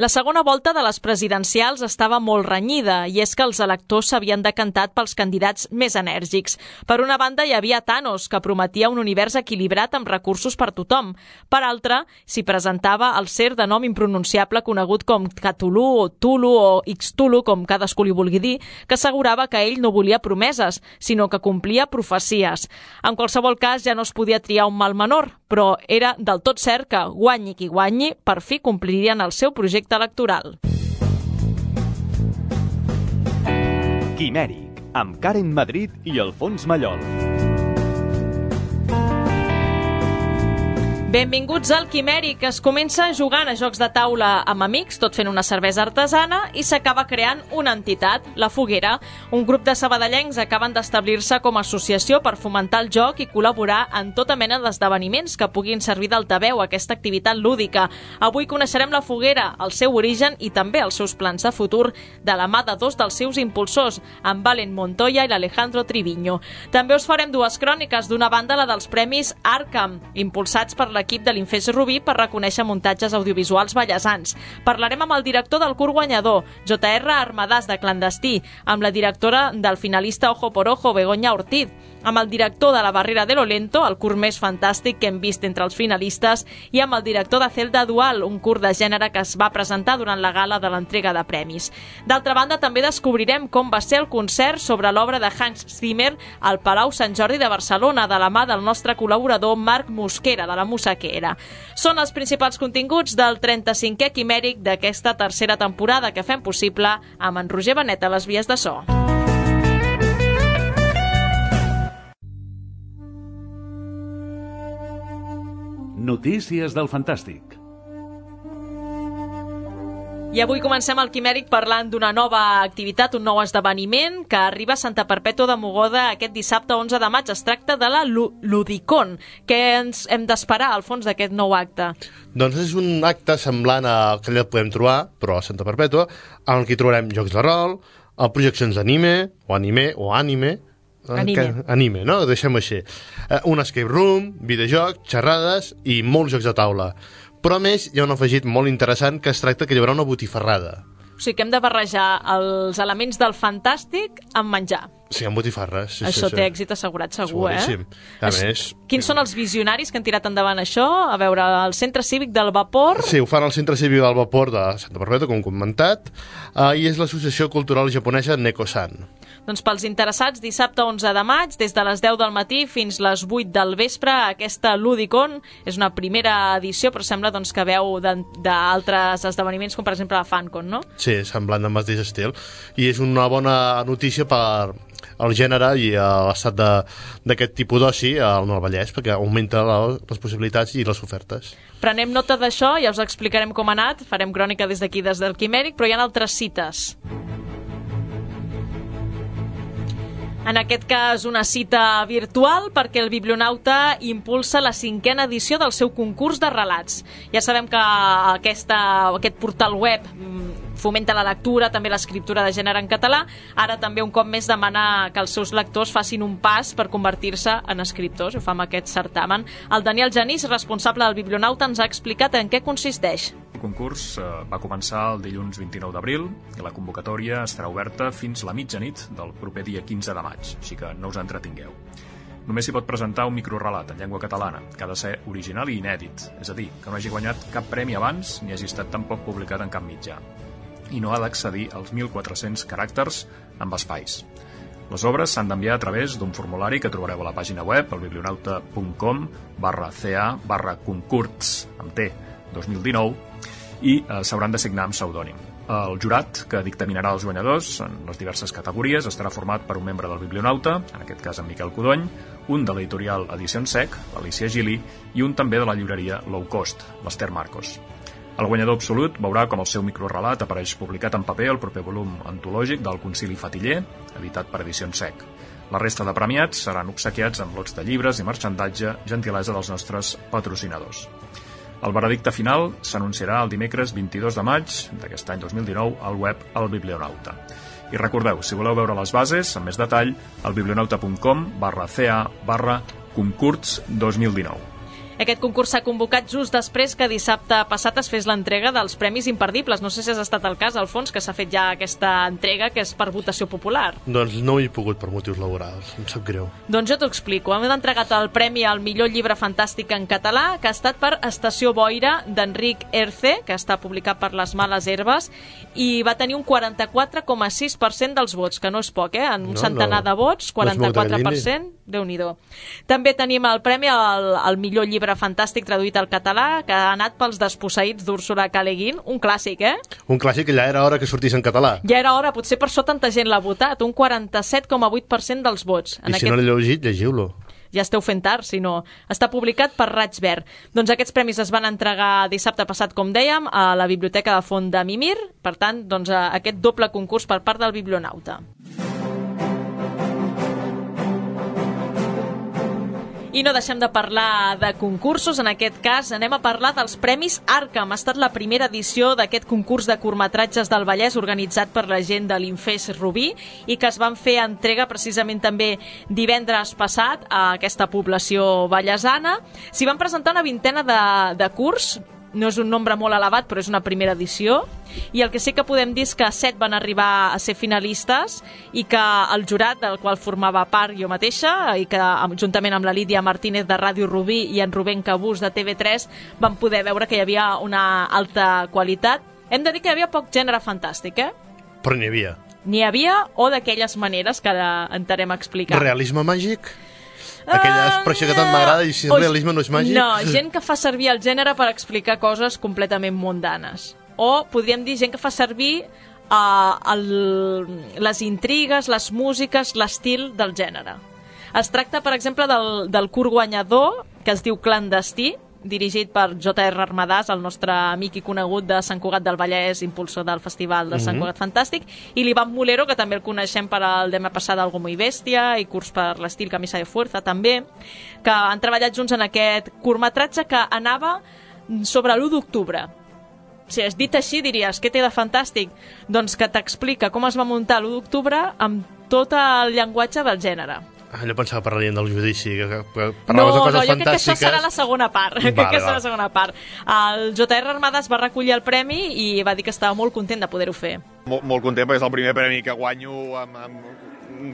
La segona volta de les presidencials estava molt renyida i és que els electors s'havien decantat pels candidats més enèrgics. Per una banda hi havia Thanos, que prometia un univers equilibrat amb recursos per tothom. Per altra, s'hi presentava el ser de nom impronunciable conegut com Cthulhu o Tulu o Ixtulu, com cadascú li vulgui dir, que assegurava que ell no volia promeses, sinó que complia profecies. En qualsevol cas, ja no es podia triar un mal menor, però era del tot cert que, guanyi qui guanyi, per fi complirien el seu projecte electoral. Quimèric, amb Karen Madrid i Alfons Mallol. Benvinguts al Quimèric. Es comença jugant a jocs de taula amb amics, tot fent una cervesa artesana, i s'acaba creant una entitat, la Foguera. Un grup de sabadellencs acaben d'establir-se com a associació per fomentar el joc i col·laborar en tota mena d'esdeveniments que puguin servir d'altaveu a aquesta activitat lúdica. Avui coneixerem la Foguera, el seu origen i també els seus plans de futur, de la mà de dos dels seus impulsors, en Valen Montoya i l'Alejandro Triviño. També us farem dues cròniques, d'una banda la dels Premis Arkham, impulsats per l'equip de l'Infés Rubí per reconèixer muntatges audiovisuals ballesans. Parlarem amb el director del curt guanyador, J.R. Armadàs, de Clandestí, amb la directora del finalista Ojo por Ojo, Begoña Ortiz, amb el director de La Barrera de lo Lento, el curt més fantàstic que hem vist entre els finalistes, i amb el director de Celda Dual, un curt de gènere que es va presentar durant la gala de l'entrega de premis. D'altra banda, també descobrirem com va ser el concert sobre l'obra de Hans Zimmer al Palau Sant Jordi de Barcelona, de la mà del nostre col·laborador Marc Mosquera, de la Musaquera. Són els principals continguts del 35è Quimèric d'aquesta tercera temporada que fem possible amb en Roger Benet a les vies de so. Notícies del Fantàstic. I avui comencem el Quimèric parlant d'una nova activitat, un nou esdeveniment que arriba a Santa Perpètua de Mogoda aquest dissabte 11 de maig. Es tracta de la Ludicon. Què ens hem d'esperar, al fons, d'aquest nou acte? Doncs és un acte semblant a que allà podem trobar, però a Santa Perpètua, en què trobarem jocs de rol, projeccions d'anime, Anime, no? Deixem-ho així. Un escape room, videojocs, xerrades i molts jocs de taula. Però a més hi ha un afegit molt interessant que es tracta que hi haurà una botifarrada. O sigui que hem de barrejar els elements del fantàstic amb menjar. Sí, amb botifarres. Sí, això té èxit assegurat, segur, seguríssim. A més... Quins són els visionaris que han tirat endavant això? A veure, el Centre Cívic del Vapor... Sí, ho fan al Centre Cívic del Vapor de Santa Perpètua, com comentat, i és l'Associació Cultural Japonesa Neko-san. Doncs pels interessats, dissabte 11 de maig, des de les 10 del matí fins les 8 del vespre, aquesta Ludicon és una primera edició, però sembla doncs, que veu d'altres esdeveniments, com per exemple la FanCon, no? Sí, semblant del mateix estil. I és una bona notícia per el gènere i l'estat d'aquest tipus d'oci al Nord Vallès, perquè augmenta les possibilitats i les ofertes. Prenem nota d'això, ja us explicarem com ha anat, farem crònica des d'aquí, des del Quimèric, però hi ha altres cites. En aquest cas, una cita virtual perquè el Biblionauta impulsa la 5a edició del seu concurs de relats. Ja sabem que aquest portal web fomenta la lectura, també l'escriptura de gènere en català. Ara també un cop més demana que els seus lectors facin un pas per convertir-se en escriptors. Ho fa amb aquest certamen. El Daniel Genís, responsable del Biblionauta, ens ha explicat en què consisteix. El concurs va començar el dilluns 29 d'abril i la convocatòria estarà oberta fins la mitjanit del proper dia 15 de maig, així que no us entretingueu. Només s'hi pot presentar un microrelat en llengua catalana, que ha de ser original i inèdit, és a dir, que no hagi guanyat cap premi abans ni hagi estat tampoc publicat en cap mitjà, i no ha d'excedir als 1.400 caràcters amb espais. Les obres s'han d'enviar a través d'un formulari que trobareu a la pàgina web, elbiblionauta.com/ca/concurs, amb T, 2019, i s'hauran de signar amb pseudònim. El jurat que dictaminarà els guanyadors en les diverses categories estarà format per un membre del Biblionauta, en aquest cas en Miquel Codony, un de l'editorial Edicions Sec, l'Alicia Gili, i un també de la llibreria Low Cost, l'Ester Marcos. El guanyador absolut veurà com el seu microrelat apareix publicat en paper al proper volum antològic del Concili Fatiller, editat per Edicions Sec. La resta de premiats seran obsequiats amb lots de llibres i marxandatge, gentilesa dels nostres patrocinadors. El veredicte final s'anunciarà el dimecres 22 de maig d'aquest any 2019 al web El Biblionauta. I recordeu, si voleu veure les bases amb més detall, al biblionauta.com/ca/concurs 2019. Aquest concurs s'ha convocat just després que dissabte passat es fes l'entrega dels Premis Imperdibles. No sé si has estat al cas, Alfons, que s'ha fet ja aquesta entrega, que és per votació popular. Doncs no hi he pogut per motius laborals, em sap greu. Doncs jo t'ho explico. Hem entregat el premi al millor llibre fantàstic en català, que ha estat per Estació Boira, d'Enric Erce, que està publicat per Les Males Herbes, i va tenir un 44,6% dels vots, que no és poc, en un centenar de vots, 44%, Déu-n'hi-do. També tenim el premi al millor llibre fantàstic traduït al català, que ha anat pels Desposseïts d'Úrsula K. Le Guin, un clàssic, Un clàssic que ja era hora que sortís en català. Ja era hora, potser per això tanta gent l'ha votat, un 47,8% dels vots. I si no l'he llegit, llegiu-lo. Ja esteu fent tard, si no. Està publicat per Raig Verd. Doncs aquests premis es van entregar dissabte passat, com dèiem, a la Biblioteca de Font de Mimir. Per tant, doncs, aquest doble concurs per part del Biblionauta. I no deixem de parlar de concursos, en aquest cas anem a parlar dels Premis Arkham. Ha estat la primera edició d'aquest concurs de curtmetratges del Vallès organitzat per la gent de l'Infés Rubí i que es van fer entrega precisament també divendres passat a aquesta població vallesana. S'hi van presentar una vintena de curts. No és un nombre molt elevat, però és una primera edició, i el que sí que podem dir és que 7 van arribar a ser finalistes i que el jurat, del qual formava part jo mateixa, i que juntament amb la Lídia Martínez de Ràdio Rubí i en Rubén Cabús de TV3 van poder veure que hi havia una alta qualitat. Hem de dir que hi havia poc gènere fantàstic, Però n'hi havia. N'hi havia, o d'aquelles maneres que ara entrarem a explicar. Realisme màgic? Aquella expressió que tant m'agrada, i si el realisme no és màgic? No, gent que fa servir el gènere per explicar coses completament mundanes. O podríem dir gent que fa servir les intrigues, les músiques, l'estil del gènere. Es tracta, per exemple, del curt guanyador, que es diu Clandestí, dirigit per J.R. Armadàs, el nostre amic i conegut de Sant Cugat del Vallès, impulsor del Festival de Sant Cugat Fantàstic, i l'Ivan Mulero, que també el coneixem per el demà passat Algo Muy Bestia, i curs per l'estil Camisa de Fuerza, també, que han treballat junts en aquest curtmetratge que anava sobre l'1 d'octubre. Si és dit així, diries, què té de fantàstic? Doncs que t'explica com es va muntar l'1 d'octubre amb tot el llenguatge del gènere. Jo pensava que parlarien del judici, que parlaves No, de coses jo crec que això fantàstiques. serà la segona part. Crec que serà la segona part. El J.R. Armadas va recollir el premi i va dir que estava molt content de poder-ho fer. Molt content, perquè és el primer premi que guanyo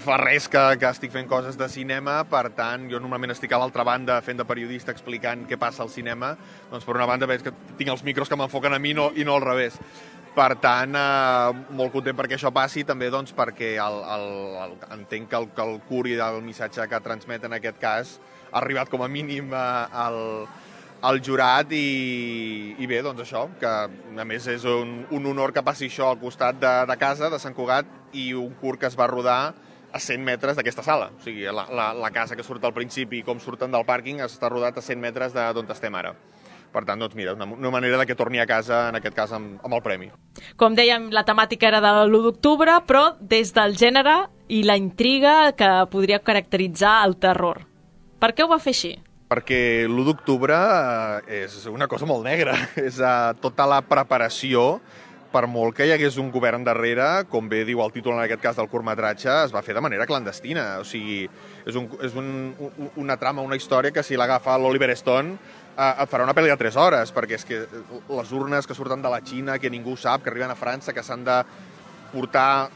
fa res que estic fent coses de cinema. Per tant, jo normalment estic a l'altra banda fent de periodista explicant què passa al cinema. Doncs per una banda veig que tinc els micros que m'enfoquen a mi i no al revés. Per tant, molt content perquè això passi, també doncs, perquè entenc que el curt i el missatge que transmet en aquest cas ha arribat com a mínim al jurat i bé, doncs això, que a més és un honor que passi això al costat de casa, de Sant Cugat, i un curt que es va rodar a 100 metres d'aquesta sala. O sigui, la casa que surt al principi i com surten del pàrquing està rodat a 100 metres d'on estem ara. Per tant, doncs mira, una manera que torni a casa, en aquest cas, amb el premi. Com dèiem, la temàtica era de l'1 d'octubre, però des del gènere i la intriga que podria caracteritzar el terror. Per què ho va fer així? Perquè l'1 d'octubre és una cosa molt negra. És tota la preparació, per molt que hi hagués un govern darrere, com bé diu el títol en aquest cas del curtmetratge, es va fer de manera clandestina. O sigui, és una trama, una història que si l'agafa l'Oliver Stone et farà una pel·li de 3 hores, perquè és que les urnes que surten de la Xina, que ningú sap, que arriben a França, que s'han de portar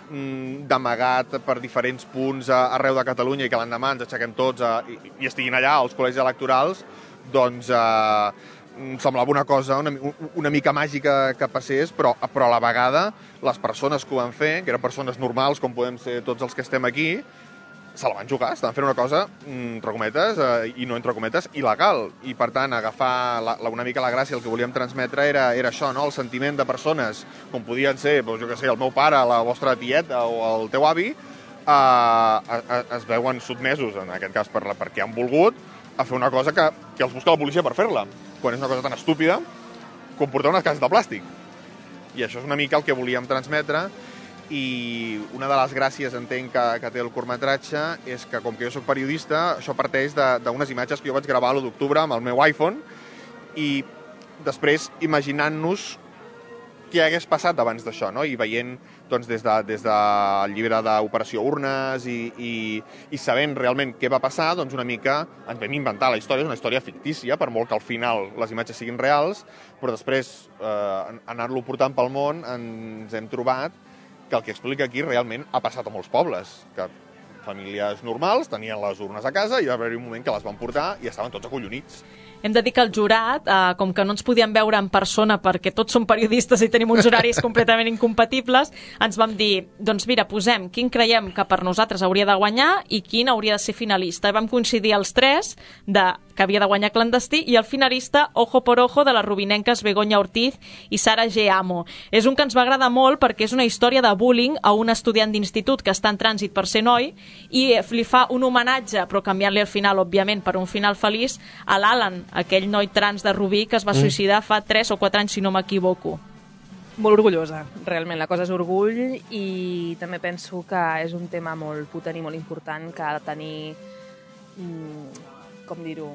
d'amagat per diferents punts arreu de Catalunya i que l'endemà ens aixequem tots i estiguin allà als col·legis electorals, doncs semblava una cosa una mica màgica que passés, però a la vegada les persones que ho van fer, que eren persones normals com podem ser tots els que estem aquí, se la van jugar, estaven fent una cosa, entre cometes, i no entre cometes, il·legal. I, per tant, agafar una mica la gràcia, el que volíem transmetre era això, no? El sentiment de persones, com podien ser, doncs, jo què sé, el meu pare, la vostra tieta o el teu avi, es veuen sotmesos, en aquest cas perquè han volgut, a fer una cosa que els busca la policia per fer-la, quan és una cosa tan estúpida com portar unes cases de plàstic. I això és una mica el que volíem transmetre. I una de les gràcies, entenc, que té el curtmetratge és que, com que jo soc periodista, això parteix d'unes imatges que jo vaig gravar l'1 d'octubre amb el meu iPhone i després imaginant-nos què hagués passat abans d'això, no? I veient doncs, des del llibre d'Operació Urnes i sabent realment què va passar, doncs una mica ens vam inventar la història, és una història fictícia, per molt que al final les imatges siguin reals, però després, anar-lo portant pel món, ens hem trobat que el que explica aquí realment ha passat a molts pobles, que famílies normals tenien les urnes a casa i va haver un moment que les van portar i estaven tots acollonits. Hem de dir que el jurat, com que no ens podíem veure en persona perquè tots som periodistes i tenim uns horaris completament incompatibles, ens vam dir, doncs mira, posem quin creiem que per nosaltres hauria de guanyar i quin hauria de ser finalista. I vam coincidir els tres que havia de guanyar Clandestí i el finalista Ojo por Ojo de les rubinenques Begoña Ortiz i Sara G. Amo. És un que ens va agradar molt perquè és una història de bullying a un estudiant d'institut que està en trànsit per ser noi i li fa un homenatge, però canviant-li el final, òbviament, per un final feliç, a l'Alan, aquell noi trans de Rubí que es va suïcidar fa 3 o 4 anys, si no m'equivoco. Molt orgullosa, realment. La cosa és orgull i també penso que és un tema molt potent i molt important que ha de tenir, com dir-ho,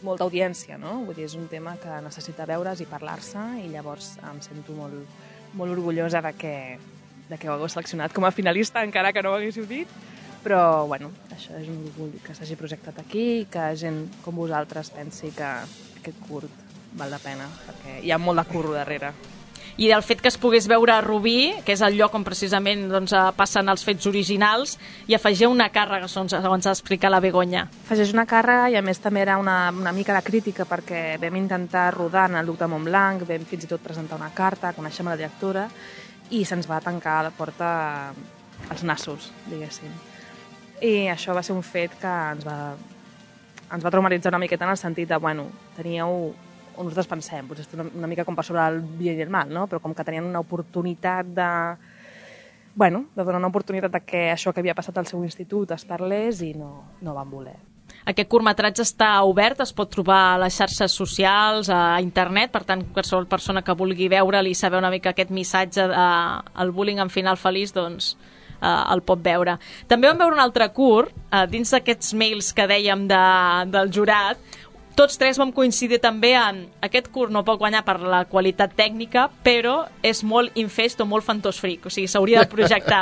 molta audiència, no? Vull dir, és un tema que necessita veure's i parlar-se i llavors em sento molt orgullosa de que ho hagueu seleccionat com a finalista, encara que no ho haguéssiu dit. Però, bueno, això és un orgull que s'hagi projectat aquí i que gent com vosaltres pensi que aquest curt val la pena, perquè hi ha molt de curro darrere. I el fet que es pogués veure a Rubí, que és el lloc on precisament passen els fets originals, i afegia una càrrega, segons ha explicat la Begoña. Afegeix una càrrega i a més també era una mica de crítica perquè vam intentar rodar en el Duc de Montblanc, vam fins i tot presentar una carta, coneixem la directora i se'ns va tancar la porta als nassos, diguéssim. I això va ser un fet que ens va traumatitzar una miqueta en el sentit de, bueno, teníeu, on nosaltres pensem, potser una mica com per sobre el bien i el mal, no? Però com que tenien una oportunitat de donar una oportunitat que això que havia passat al seu institut es parlés i no van voler. Aquest curtmetratge està obert, es pot trobar a les xarxes socials, a internet, per tant, qualsevol persona que vulgui veure'l i saber una mica aquest missatge del bullying en final feliç, doncs el pot veure. També vam veure un altre curt, dins d'aquests mails que dèiem del jurat. Tots tres vam coincidir també en aquest curt no pot guanyar per la qualitat tècnica, però és molt infest o molt fantosfric, o sigui, s'hauria de projectar.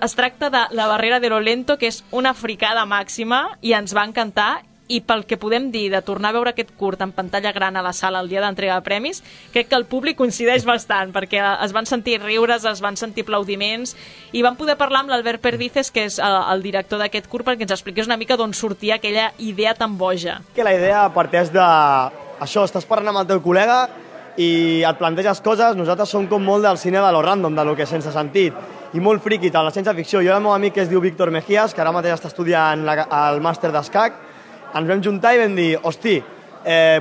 Es tracta de La barrera de lo lento, que és una fricada màxima i ens va encantar, i pel que podem dir de tornar a veure aquest curt en pantalla gran a la sala el dia d'entrega de premis, crec que el públic coincideix bastant, perquè es van sentir riures, es van sentir aplaudiments, i vam poder parlar amb l'Albert Perdices, que és el director d'aquest curt, perquè ens expliqués una mica d'on sortia aquella idea tan boja. Que la idea parteix de... Això, estàs parlant amb el teu col·lega i et planteges coses, nosaltres som com molt del cine de lo random, de lo que sense sentit, i molt friqui, de la ciència-ficció. Jo i el meu amic que es diu Víctor Mejías, que ara mateix està estudiant el màster d'escac, ens vam juntar i vam dir, hosti,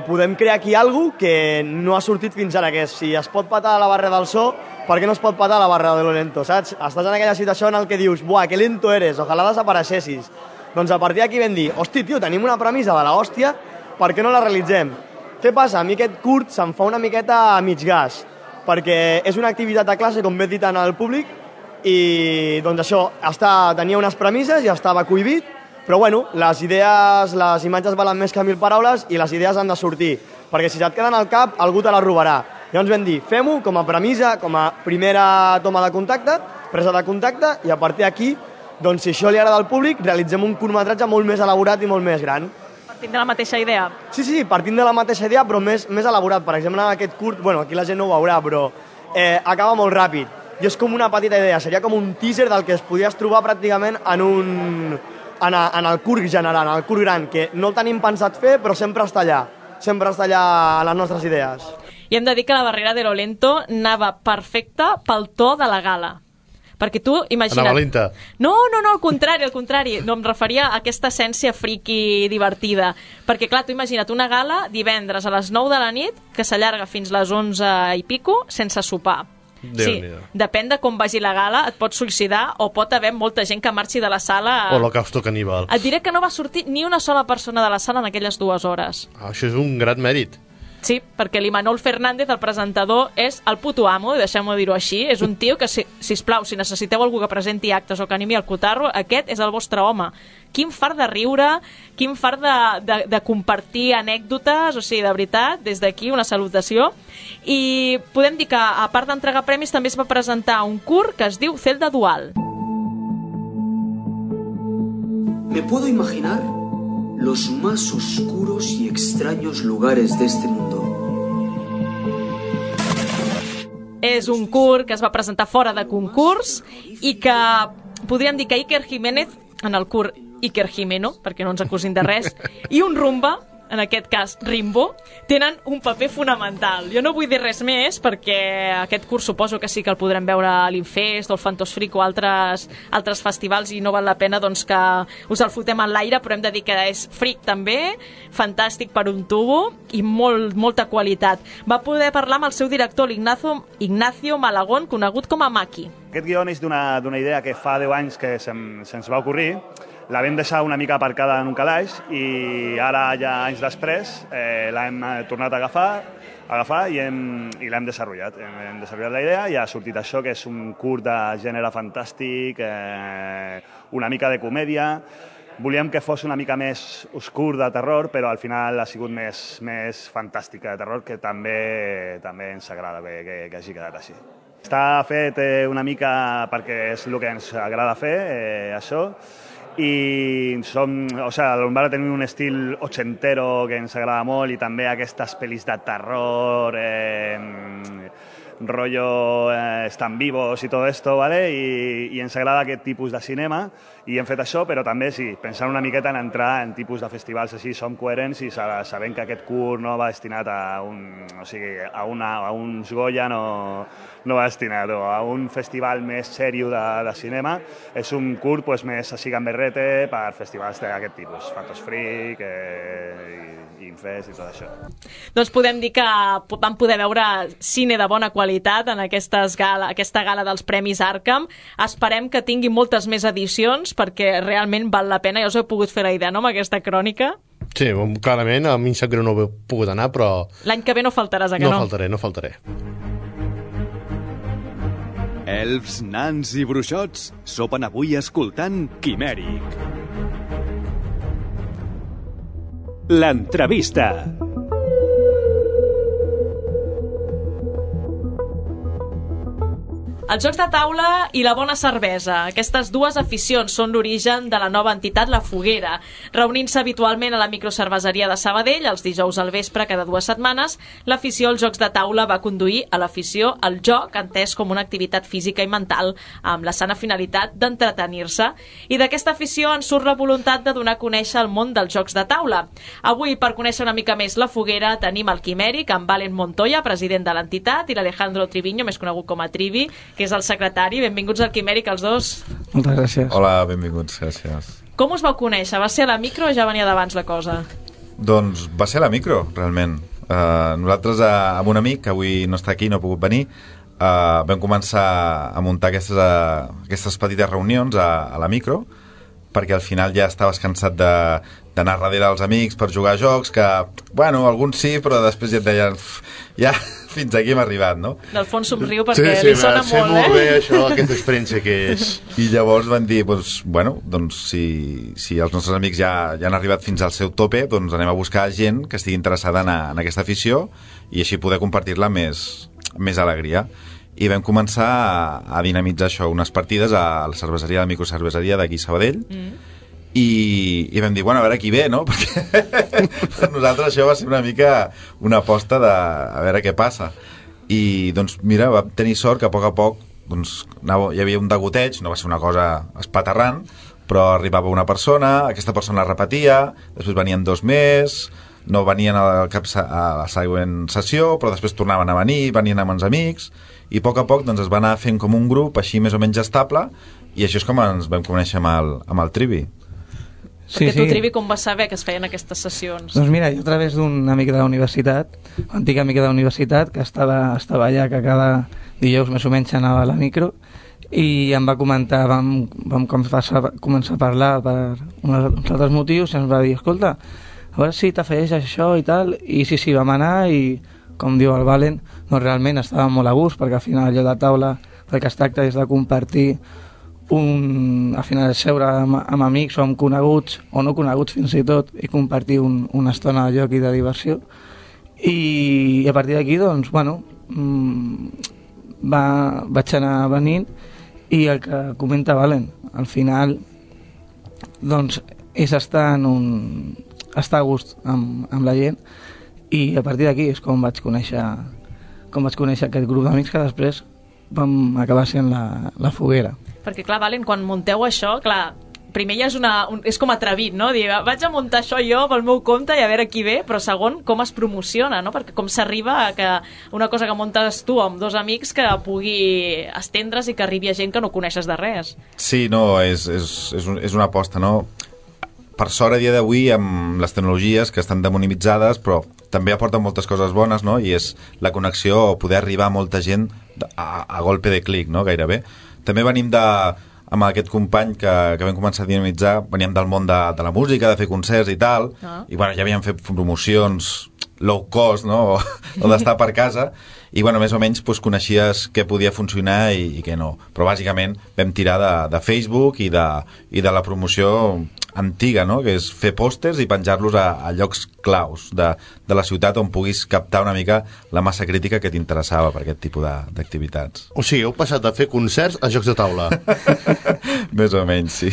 podem crear aquí alguna cosa que no ha sortit fins ara, que és, si es pot patar la barra del so, per què no es pot patar la barra de lo lento, saps? Estàs en aquella situació en què dius, buah, que lento eres, ojalà desapareixessis. Doncs a partir d'aquí vam dir, hosti, tio, tenim una premissa de l'hòstia, per què no la realitzem? Què passa? A mi aquest curt se'm fa una miqueta a mig gas, perquè és una activitat de classe, com bé dit en el públic, i doncs això, tenia unes premisses i estava cohibit, però bueno, les imatges valen més que 1000 paraules i les idees han de sortir, perquè si se't queden al cap, algú te la robarà. Llavors vam dir, fem-ho com a premissa, com a primera toma de contacte, presa de contacte, i a partir d'aquí, doncs si això li agrada al públic, realitzem un curtmetratge molt més elaborat i molt més gran. Partint de la mateixa idea? Sí, partint de la mateixa idea, però més elaborat. Per exemple, en aquest curt, bueno, aquí la gent no ho veurà, però acaba molt ràpid. I és com una petita idea, seria com un teaser del que es podies trobar pràcticament en el curt general, en el curt gran, que no el tenim pensat fer, però sempre està allà a les nostres idees. I hem de dir que La barrera de lo lento anava perfecta pel to de la gala. Perquè tu, imagina't... Anava lenta. No, al contrari. No, em referia a aquesta essència friqui divertida. Perquè, clar, tu imagina't una gala divendres a les 9 de la nit que s'allarga fins les 11 i pico sense sopar. Sí, depèn de com vagi la gala, et pots suïcidar o pot haver molta gent que marxi de la sala... Holocausto caníbal. Et diré que no va sortir ni una sola persona de la sala en aquelles 2 hores. Això és un gran mèrit. Sí, perquè l'Imanol Fernández, el presentador, és el puto amo, deixem-ho dir-ho així. És un tio que, sisplau, si necessiteu algú que presenti actes o que animi el cotarro, aquest és el vostre home. Quin fart de riure, quin fart de compartir anècdotes, o sigui, de veritat, des d'aquí una salutació. I podem dir que, a part d'entregar premis, també es va presentar un curt que es diu Celda Dual. Me puedo imaginar los más oscuros y extraños lugares de este mundo. És un curt que es va presentar fora de concurs i que podríem dir que Iker Jiménez, en el curt Iker Jimeno, perquè no ens acusin de res, i un Rumba, en aquest cas Rimbo, tenen un paper fonamental. Jo no vull dir res més perquè aquest curs suposo que sí que el podrem veure a l'Infest o al Fantos Freak o altres festivals i no val la pena doncs, que us el fotem en l'aire, però hem de dir que és freak també, fantàstic per un tubo i molta qualitat. Va poder parlar amb el seu director, Ignacio Malagón, conegut com a Maki. Aquest guió és d'una idea que fa 10 anys que se'ns va ocorrir. La vam deixar una mica aparcada en un calaix i ara, ja anys després, l'hem tornat a agafar i l'hem desenvolupat. Hem desenvolupat la idea i ha sortit això, que és un curt de gènere fantàstic, una mica de comèdia. Volíem que fos una mica més oscur de terror, però al final ha sigut més fantàstic de terror, que també ens agrada que hagi quedat així. Està fet una mica perquè és el que ens agrada fer, això, i va tenir un estil ochentero que ens agrada molt i també aquestes pel·lis de terror, rollo Están vivos i tot esto, ¿vale? I ens agrada aquest tipus de cinema i hem fet això, però també sí, pensant una miqueta en entrar en tipus de festivals així, som coherents i sabent que aquest curt no va destinat a uns Goya, no va destinat a un festival més sèrio de cinema. És un curt més així gamberrete per festivals d'aquest tipus, Fantos Freak, Infest i tot això. Doncs podem dir que vam poder veure cine de bona qualitat en aquesta gala dels Premis Arkham. Esperem que tingui moltes més edicions perquè realment val la pena. Ja us heu pogut fer la idea, no?, amb aquesta crònica. Sí, clarament, a mi em sap greu no he pogut anar, però... L'any que ve no faltaràs, que no? No faltaré. Elfs, nans i bruixots sopen avui escoltant Quimèric. L'entrevista. Els jocs de taula i la bona cervesa. Aquestes dues aficions són l'origen de la nova entitat La Foguera. Reunint-se habitualment a la microcerveseria de Sabadell els dijous al vespre cada 2 setmanes, l'afició als jocs de taula va conduir a l'afició al joc, entès com una activitat física i mental, amb la sana finalitat d'entretenir-se. I d'aquesta afició en surt la voluntat de donar a conèixer el món dels jocs de taula. Avui, per conèixer una mica més La Foguera, tenim el Quimèric amb Valen Montoya, president de l'entitat, i l'Alejandro Triviño, més conegut com a Trivi, que és el secretari. Benvinguts al Quimèric, els dos. Moltes gràcies. Hola, benvinguts, gràcies. Com us vau conèixer? Va ser a la micro o ja venia d'abans la cosa? Doncs va ser a la micro, realment. Nosaltres, amb un amic, que avui no està aquí, no ha pogut venir, vam començar a muntar aquestes petites reunions a la micro, perquè al final ja estaves cansat d'anar darrere dels amics per jugar a jocs, que, bueno, alguns sí, però després ja et deien, ja fins aquí hem arribat, no? Del fons somriu perquè li sona molt, molt bé això, aquesta experiència que és. I llavors van dir, doncs, si els nostres amics ja han arribat fins al seu tope, doncs anem a buscar gent que estigui interessada en aquesta afició i així poder compartir-la més alegria. I vam començar a dinamitzar això, unes partides a la cerveseria, a la microcerveseria d'aquí a Sabadell, i vam dir, bueno, a veure qui ve, no? Perquè per nosaltres això va ser una mica una aposta de a veure què passa. I doncs mira, vam tenir sort que a poc doncs, hi havia un degoteig, no va ser una cosa espaterrant, però arribava una persona, aquesta persona repetia, després venien 2 més, no venien a la següent sessió, però després tornaven a venir, venien amb els amics, i a poc doncs, es va anar fent com un grup així més o menys estable, i això és com ens vam conèixer amb el Trivi. Perquè tu, Trivi, com vas saber que es feien aquestes sessions? Doncs mira, jo a través d'un amic de la universitat, antic amic de la universitat, que estava allà, que cada dijous més o menys anava a la micro, i em va comentar, vam començar a parlar per uns altres motius, i ens va dir, escolta, a veure si t'afegeixes això i tal, i sí, vam anar i, com diu el Valen, no, realment estàvem molt a gust, perquè al final allò de taula, el que es tracta és de compartir al final seure amb amics o amb coneguts, o no coneguts fins i tot, i compartir una estona de joc i de diversió. I a partir d'aquí, doncs, bueno, vaig anar venint, i el que comenta Valen, al final, doncs, és estar a gust amb la gent, i a partir d'aquí és com vaig conèixer aquest grup d'amics que després vam acabar sent la foguera. Perquè, clar, Valen, quan munteu això, clar, primer ja és com atrevit, no? Dir, vaig a muntar això jo pel meu compte i a veure qui ve, però segon, com es promociona, no? Perquè com s'arriba a que una cosa que muntes tu amb dos amics que pugui estendre's i que arribi a gent que no coneixes de res. Sí, no, és una aposta, no? Per sort, a dia d'avui, amb les tecnologies que estan demonitzades, però també aporten moltes coses bones, no? I és la connexió o poder arribar a molta gent a golpe de clic, no? Gairebé. També venim amb aquest company que vam començar a dinamitzar, veníem del món de la música, de fer concerts i tal, i bueno, ja havíem fet promocions low cost, no? O d'estar per casa, i bueno, més o menys doncs, coneixies què podia funcionar i què no. Però bàsicament vam tirar de Facebook i de la promoció antiga, no? Que és fer pòsters i penjar-los a llocs claus de la ciutat on puguis captar una mica la massa crítica que t'interessava per aquest tipus d'activitats. O sigui, heu passat de fer concerts a jocs de taula. Més o menys, sí.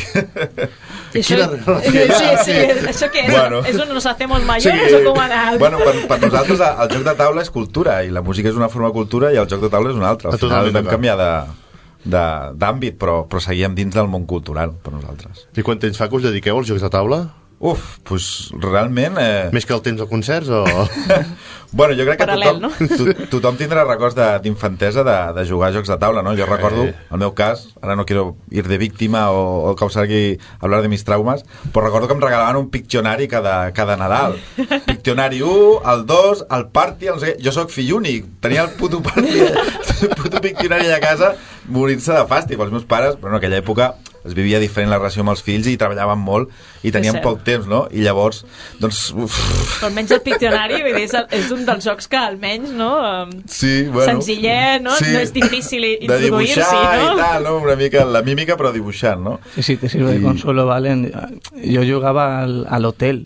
Sí, això què és? Bueno. És on nos hacemos mayores o com anar? Bueno, per nosaltres el joc de taula és cultura i la música és una forma de cultura i el joc de taula és una altra. Al final vam canviar d'àmbit, però seguíem dins del món cultural per nosaltres. I quant temps fa que us dediqueu als jocs de taula? Doncs realment... Més que el temps de concerts o...? Bueno, jo crec que paral·lel, tothom tindrà records d'infantesa de jugar a jocs de taula, no? Jo recordo, el meu cas, ara no quiero ir de víctima o causar aquí hablar de mis traumas, però recordo que em regalaven un Pictionary cada Nadal. Pictionary 1, el 2, el Party, no sé què. Jo sóc fill únic, tenia el puto Party, el puto Pictionary a casa, morint-se de fàstic. Els meus pares, però en aquella època es vivia diferent la relació amb els fills i treballaven molt i tenien poc temps, no? I llavors, doncs... Però almenys el Pictionary, vull dir, és un dels jocs que almenys, no? Sí, bueno... Senzillet, no? Sí, no és difícil introduir-s'hi, no? De dibuixar i tal, no? Una mica la mímica, però dibuixant, no? Sí, te sirve de consuelo, Valen. Jo jugava a l'hotel,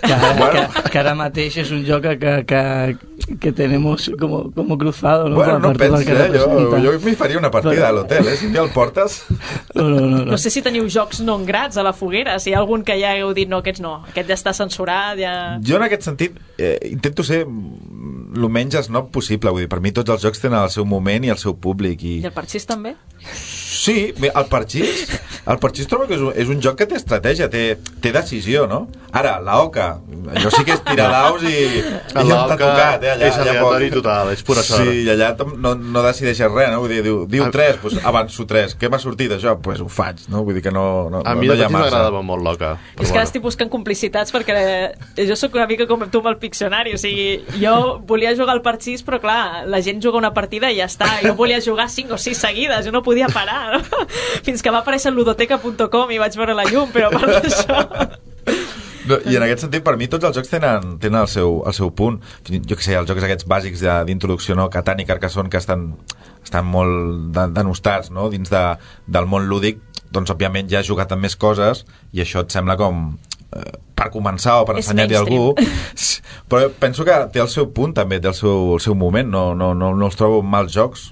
que ara mateix és un joc que tenemos como cruzado, ¿no? Bueno, no pensis, jo m'hi faria una partida a l'hotel, Si un dia el portes... No sé si teniu jocs non grats a la foguera, si hi ha algun que ja heu dit no, aquest no, aquest ja està censurat, ja... Jo en aquest sentit intento ser el menys snob possible, vull dir, per mi tots els jocs tenen el seu moment i el seu públic. I el parxís també? Sí, el parxís trobo que és un joc que té estratègia, té decisió, no? Ara, la Oca, jo sí que és tirar daus i em t'ha tocat, allà, és aleatori total, és pura sort. Sí, i allà no decideixes res, no? Vull dir, diu 3, doncs avanço 3. Què m'ha sortit això? Doncs ho faig, no? Vull dir que no a mi de petit m'agradava molt l'Oca. És que ara estic buscant complicitats perquè jo sóc una mica com tu amb el Piccionary, o sigui, jo volia jugar al parxís, però clar, la gent juga una partida i ja està. Jo volia jugar 5 o 6 seguides, jo no podia parar, no? Fins que va aparèixer ludoteca.com i vaig veure la llum, però per això... No, i en aquest sentit, per mi, tots els jocs tenen el seu punt. Jo què sé, els jocs aquests bàsics d'introducció, no? Catan i Carcassonne, que estan molt denostats, no? Dins del món lúdic, doncs, òbviament, ja has jugat amb més coses i això et sembla com... per començar o per ensenyar-hi a algú, però penso que té el seu punt també, té el seu moment, no els trobo mals jocs.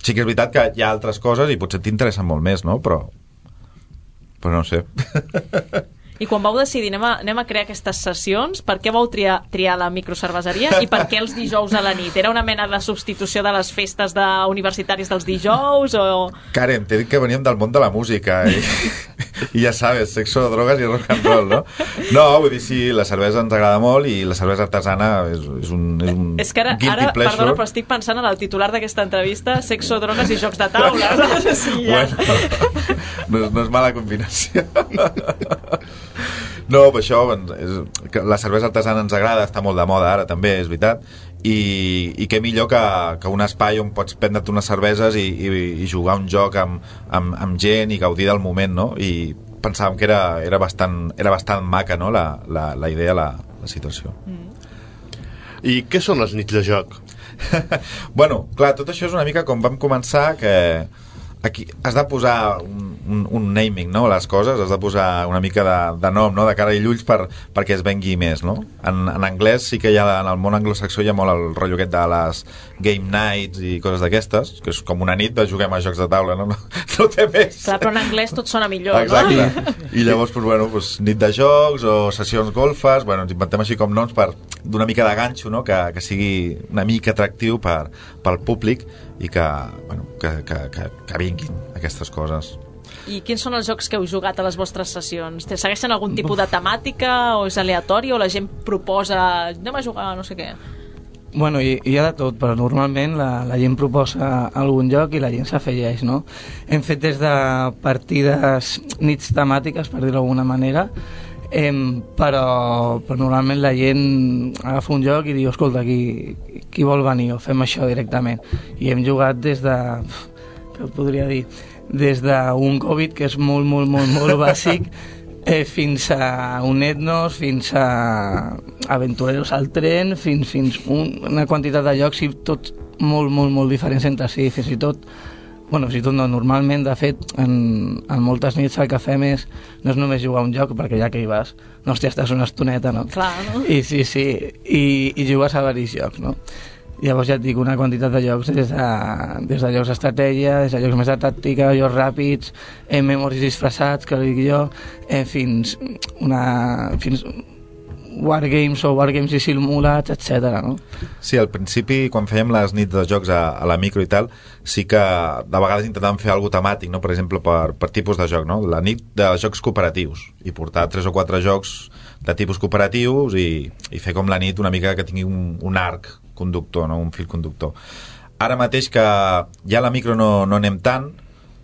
Sí que és veritat que hi ha altres coses i potser t'interessen molt més, no? Però no sé. I quan vau decidir anem a crear aquestes sessions, per què vau triar la microcerveseria i per què els dijous a la nit? Era una mena de substitució de les festes universitàries dels dijous o...? Karen, t'he dit que veníem del món de la música i ja sabes, sexo, drogues i rock and roll, no? No, vull dir, sí, la cervesa ens agrada molt i la cervesa artesana és un és que ara, perdona, però estic pensant en el titular d'aquesta entrevista, sexo, drogues i jocs de taula. Sí, ja. Bueno, no és mala combinació. No, per això la cervesa artesana ens agrada, està molt de moda ara també, és veritat, i què millor que un espai on pots prendre't unes cerveses i jugar un joc amb gent i gaudir del moment, no? I pensàvem que era bastant maca, no? La idea, situació. I què són les nits de joc? Bueno, clar, tot això és una mica com vam començar, que aquí has de posar un naming, no?, les coses, has de posar una mica de nom, no?, de cara i ulls perquè es vengui més, no? En anglès sí que hi ha, en el món anglosaxó hi ha molt el rotllo aquest de les game nights i coses d'aquestes, que és com una nit de juguem a jocs de taula, no té més. Clar, però en anglès tot sona millor, exacte. No? I llavors, pues, nit de jocs o sessions golfes, ens inventem així com noms per d'una mica de ganxo, no?, que sigui una mica atractiu pel públic i que vinguin aquestes coses. I quins són els jocs que heu jugat a les vostres sessions? Segueixen algun tipus de temàtica o és aleatori o la gent proposa anem a jugar no sé què? Bueno, hi ha de tot, però normalment la gent proposa algun joc i la gent s'afegeix, no? Hem fet des de partides nits temàtiques, per dir-ho d'alguna manera, però normalment la gent agafa un joc i diu, escolta, qui vol venir o fem això directament. I hem jugat des de... què podria dir? Des d'un Covid, que és molt bàsic, fins a un Etnos, fins a Aventureros al tren, fins una quantitat de jocs i tots molt diferents entre si, fins i tot no, normalment, de fet, en moltes nits el que fem no és només jugar un joc, perquè ja que hi vas, no, hòstia, estàs una estoneta, no? Clar, no? I sí, i jugues a varis jocs, no? Llavors ja et dic, una quantitat de jocs des de jocs d'estratègia, des de jocs més de tàctica, jocs ràpids, memoris disfressats, que dic jo, fins wargames o wargames i simulats, etc. No? Sí, al principi, quan fèiem les nits de jocs a la micro i tal, sí que de vegades intentàvem fer alguna temàtic, no? Per exemple, per tipus de joc, no? La nit de jocs cooperatius, i portar 3 o 4 jocs de tipus cooperatius i fer com la nit una mica que tingui un arc conductor, no? Un fil conductor. Ara mateix que ja a la micro no anem tant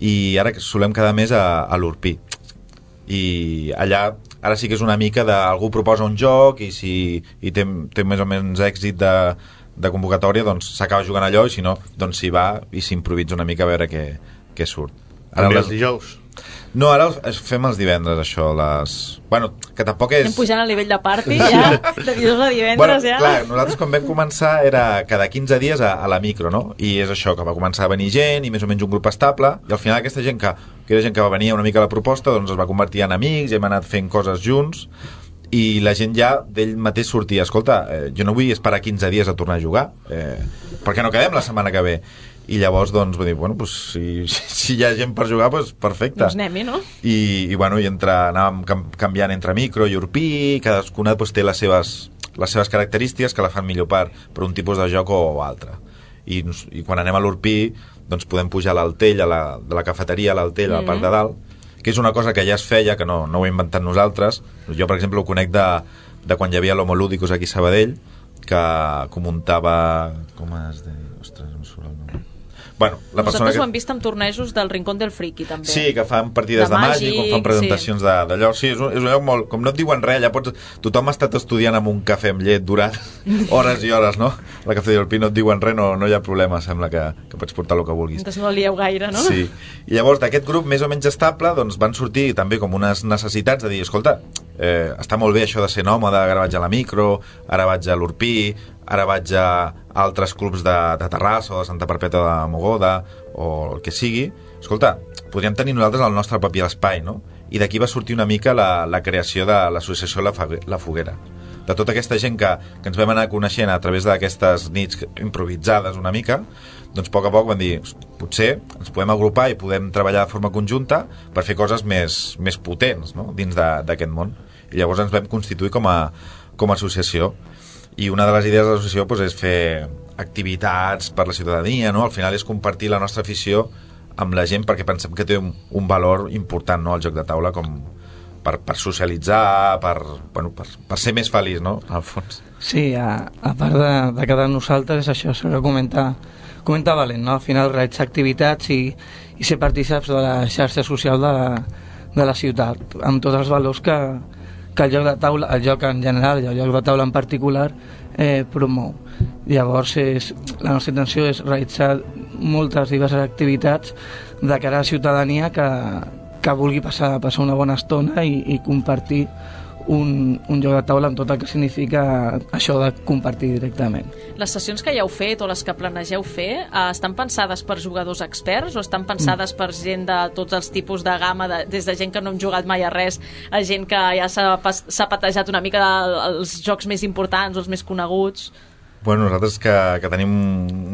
i ara solem quedar més a l'Urpí. I allà ara sí que és una mica algú proposa un joc i si té més o menys èxit de convocatòria, doncs s'acaba jugant allò i si no, doncs s'hi va i s'improvisa una mica a veure què surt. També els dijous? No, ara fem els divendres, això, Bueno, que tampoc és... Anem pujant al nivell de party, ja, de dijous a divendres, ja. Clar, nosaltres quan vam començar era cada 15 dies a la micro, no? I és això, que va començar a venir gent i més o menys un grup estable, i al final aquesta gent que era gent que va venir una mica a la proposta, doncs es va convertir en amics i hem anat fent coses junts, i la gent ja d'ell mateix sortia, escolta, jo no vull esperar 15 dies a tornar a jugar, per què no quedem la setmana que ve? I llavors doncs va dir, bueno, pues, si hi ha gent per jugar, pues, perfecte. Doncs anem-hi, no? I anàvem canviant entre micro i Urpí, cadascuna pues, té les seves característiques que la fan millor per un tipus de joc o altre. I quan anem a l'Urpí doncs podem pujar a l'Altell, de la cafeteria a l'Altell, a la part de dalt, que és una cosa que ja es feia, que no ho hem inventat nosaltres. Jo, per exemple, ho conec de quan hi havia l'Homo Ludicus aquí a Sabadell, que muntava... Com es deia? Ostres, no surt el nom. Bueno, nosaltres ho hem vist en tornejos del Rincón del Friki, també. Sí, que fan partides de màgic, com fan presentacions d'allò. Sí, és un lloc molt... Com no et diuen res, tothom ha estat estudiant amb un cafè amb llet durant hores i hores, no? La cafeteria del Pi no et diuen res, no hi ha problema, sembla que pots portar el que vulguis. Entonces no lieu gaire, no? Sí. I llavors d'aquest grup més o menys estable doncs van sortir també com unes necessitats de dir, escolta, està molt bé això de ser nòmada, ara vaig a la micro, ara vaig a l'Urpí, ara vaig a altres clubs de Terrassa o de Santa Perpètua de Mogoda o el que sigui. Escolta, podríem tenir nosaltres el nostre propi espai, no? I d'aquí va sortir una mica la creació de l'associació La Foguera. De tota aquesta gent que ens vam anar coneixent a través d'aquestes nits improvisades una mica, doncs a poc van dir, potser ens podem agrupar i podem treballar de forma conjunta per fer coses més potents, no? Dins d'aquest món. I llavors ens vam constituir com a associació. I una de les idees de l'associació doncs, és fer activitats per la ciutadania, no? Al final és compartir la nostra afició amb la gent perquè pensem que té un valor important, no? El joc de taula com per socialitzar, per ser més feliç, no? Al fons. Sí, a part de cada nosaltres és això, s'ha de comentar valent, no? Al final realitzar activitats i ser partícips de la xarxa social de la ciutat, amb tots els valors que el joc de taula, el joc en general i el joc de taula en particular promou. Llavors la nostra intenció és realitzar moltes diverses activitats de cara a la ciutadania que vulgui passar una bona estona i compartir un joc de taula amb tot el que significa això de compartir directament. Les sessions que ja heu fet o les que planegeu fer estan pensades per jugadors experts o estan pensades per gent de tots els tipus de gamma, des de gent que no hem jugat mai a res a gent que ja s'ha patejat una mica els jocs més importants o els més coneguts? Bueno, nosaltres que tenim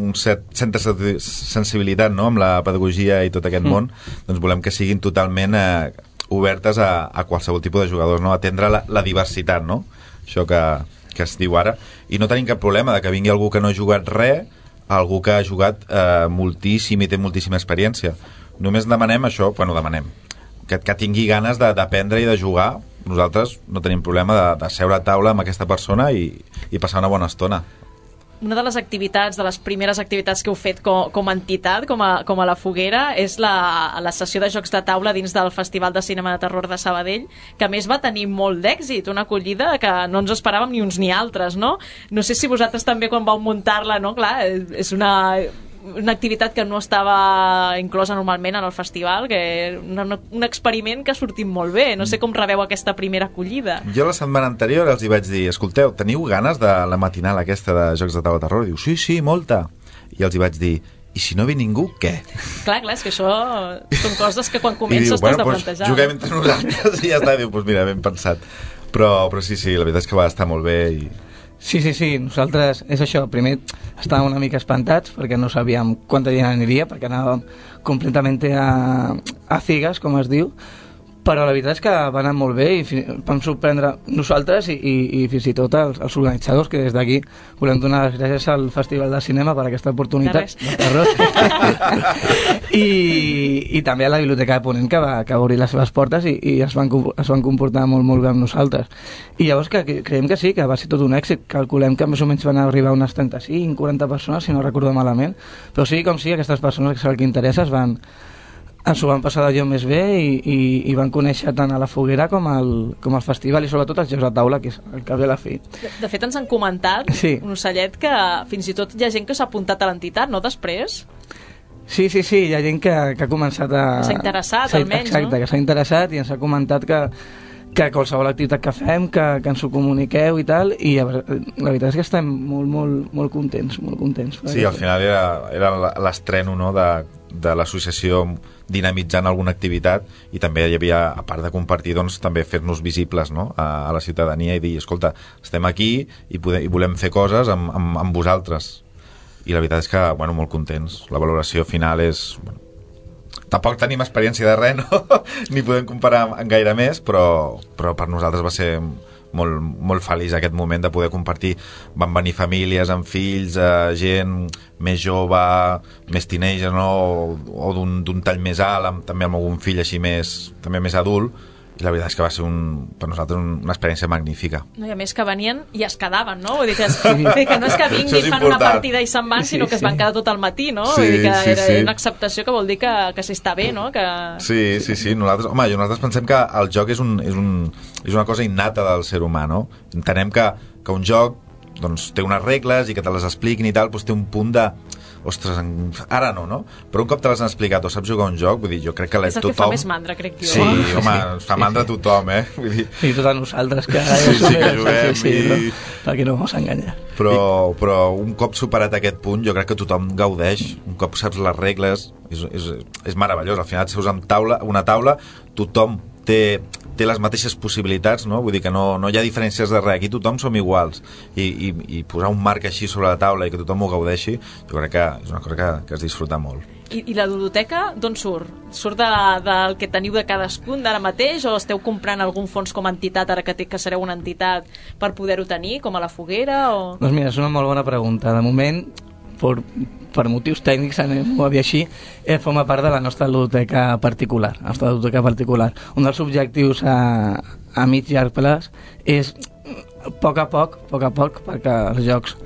un cert centre de sensibilitat, no?, amb la pedagogia i tot aquest món, doncs volem que siguin totalment obertes a qualsevol tipus de jugadors, no?, atendre la diversitat, no?, això que es diu ara, i no tenim cap problema de que vingui algú que no ha jugat res, algú que ha jugat moltíssim i té moltíssima experiència. Només demanem això, bueno, demanem que tingui ganes d'aprendre i de jugar. Nosaltres no tenim problema de seure a taula amb aquesta persona i passar una bona estona. Una de les activitats, de les primeres activitats que heu fet com a entitat, com a la Foguera, és la sessió de jocs de taula dins del Festival de Cinema de Terror de Sabadell, que a més va tenir molt d'èxit, una acollida que no ens esperàvem ni uns ni altres, no? No sé si vosaltres també quan vau muntar-la, no? Clar, és una activitat que no estava inclosa normalment en el festival, que un experiment que ha sortit molt bé. No sé com rebeu aquesta primera acollida. Jo la setmana anterior els hi vaig dir, escolteu, teniu ganes de la matinal aquesta de Jocs de Taula de Terror? Diu, sí, molta. I els hi vaig dir, i si no ve ningú, què? Clar, és que això són coses que quan comences t'has de plantejar. Juguem entre nosaltres i ja està. Diu, doncs mira, ben pensat. Però sí, la veritat és que va estar molt bé i... Sí, nosaltres, és això, primer estàvem una mica espantats perquè no sabíem quanta gent aniria, perquè anàvem completament a ciegas, com es diu, però la veritat és que va anar molt bé i vam sorprendre nosaltres i fins i tot els organitzadors, que des d'aquí volem donar les gràcies al Festival de Cinema per aquesta oportunitat de terror i també a la Biblioteca de Ponent, que va obrir les seves portes i es van comportar molt bé amb nosaltres. I llavors creiem que sí, que va ser tot un èxit. Calculem que més o menys van arribar unes 35-40 persones, si no recordo malament, però sí com sí, aquestes persones que el que interessa ens ho van passar d'allò més bé i van conèixer tant a la Foguera com al festival i sobretot els jocs de taula, que és el que ve a la fi. De fet ens han comentat, un ocellet, que fins i tot hi ha gent que s'ha apuntat a l'entitat, no, després? Sí, hi ha gent que ha començat a... S'ha interessat, almenys, exacte, no? Que s'ha interessat i ens ha comentat que qualsevol activitat que fem, que ens ho comuniqueu i tal, i la veritat és que estem molt contents. Sí, al final era l'estreno, no?, de l'associació dinamitzant alguna activitat, i també hi havia, a part de compartir, doncs també fer-nos visibles, no?, a la ciutadania i dir, escolta, estem aquí i volem fer coses amb vosaltres. I la veritat és que, bueno, molt contents. La valoració final és... Bueno, tampoc tenim experiència de res, no? Ni podem comparar amb gaire més, però per nosaltres va ser molt feliç aquest moment de poder compartir. Van venir famílies amb fills, gent més jove, més teenager, no? O d'un tall més alt, també amb algun fill així també més adult, i la veritat és que va ser per nosaltres una experiència magnífica. No, i a més que venien i es quedaven, no? Vull dir que no és que vinguin i fan una partida i se'n van, sinó que es van quedar tot al matí, no? Vull dir que era una acceptació que vol dir que s'està bé, no? Sí. Nosaltres pensem que el joc és una cosa innata del ser humà, no? Entenem que un joc doncs, té unes regles i que te les expliquin i tal, doncs té un punt de... Ostres, ara no? Però un cop te les han explicat o saps jugar un joc, vull dir, jo crec que és el que fa més mandra, crec jo. Sí, home, fa mandra tothom, Vull dir... I tot a nosaltres, que que juguem. Perquè no ens enganyar. Però un cop superat aquest punt, jo crec que tothom gaudeix. Un cop saps les regles, és meravellós. Al final et seus amb una taula, tothom té les mateixes possibilitats, no? Vull dir que no hi ha diferències de res, aquí tothom som iguals, i posar un marc així sobre la taula i que tothom ho gaudeixi, jo crec que és una cosa que es disfruta molt. I la ludoteca d'on surt? Surt del que teniu de cadascun d'ara mateix, o esteu comprant algun fons com a entitat, ara que sereu una entitat, per poder-ho tenir, com a la Foguera? Doncs mira, és una molt bona pregunta. De moment, per motius tècnics, anem-ho a dir així, forma part de la nostra ludoteca particular. Un dels objectius a mig llarg plaç és, a poc a poc, perquè els jocs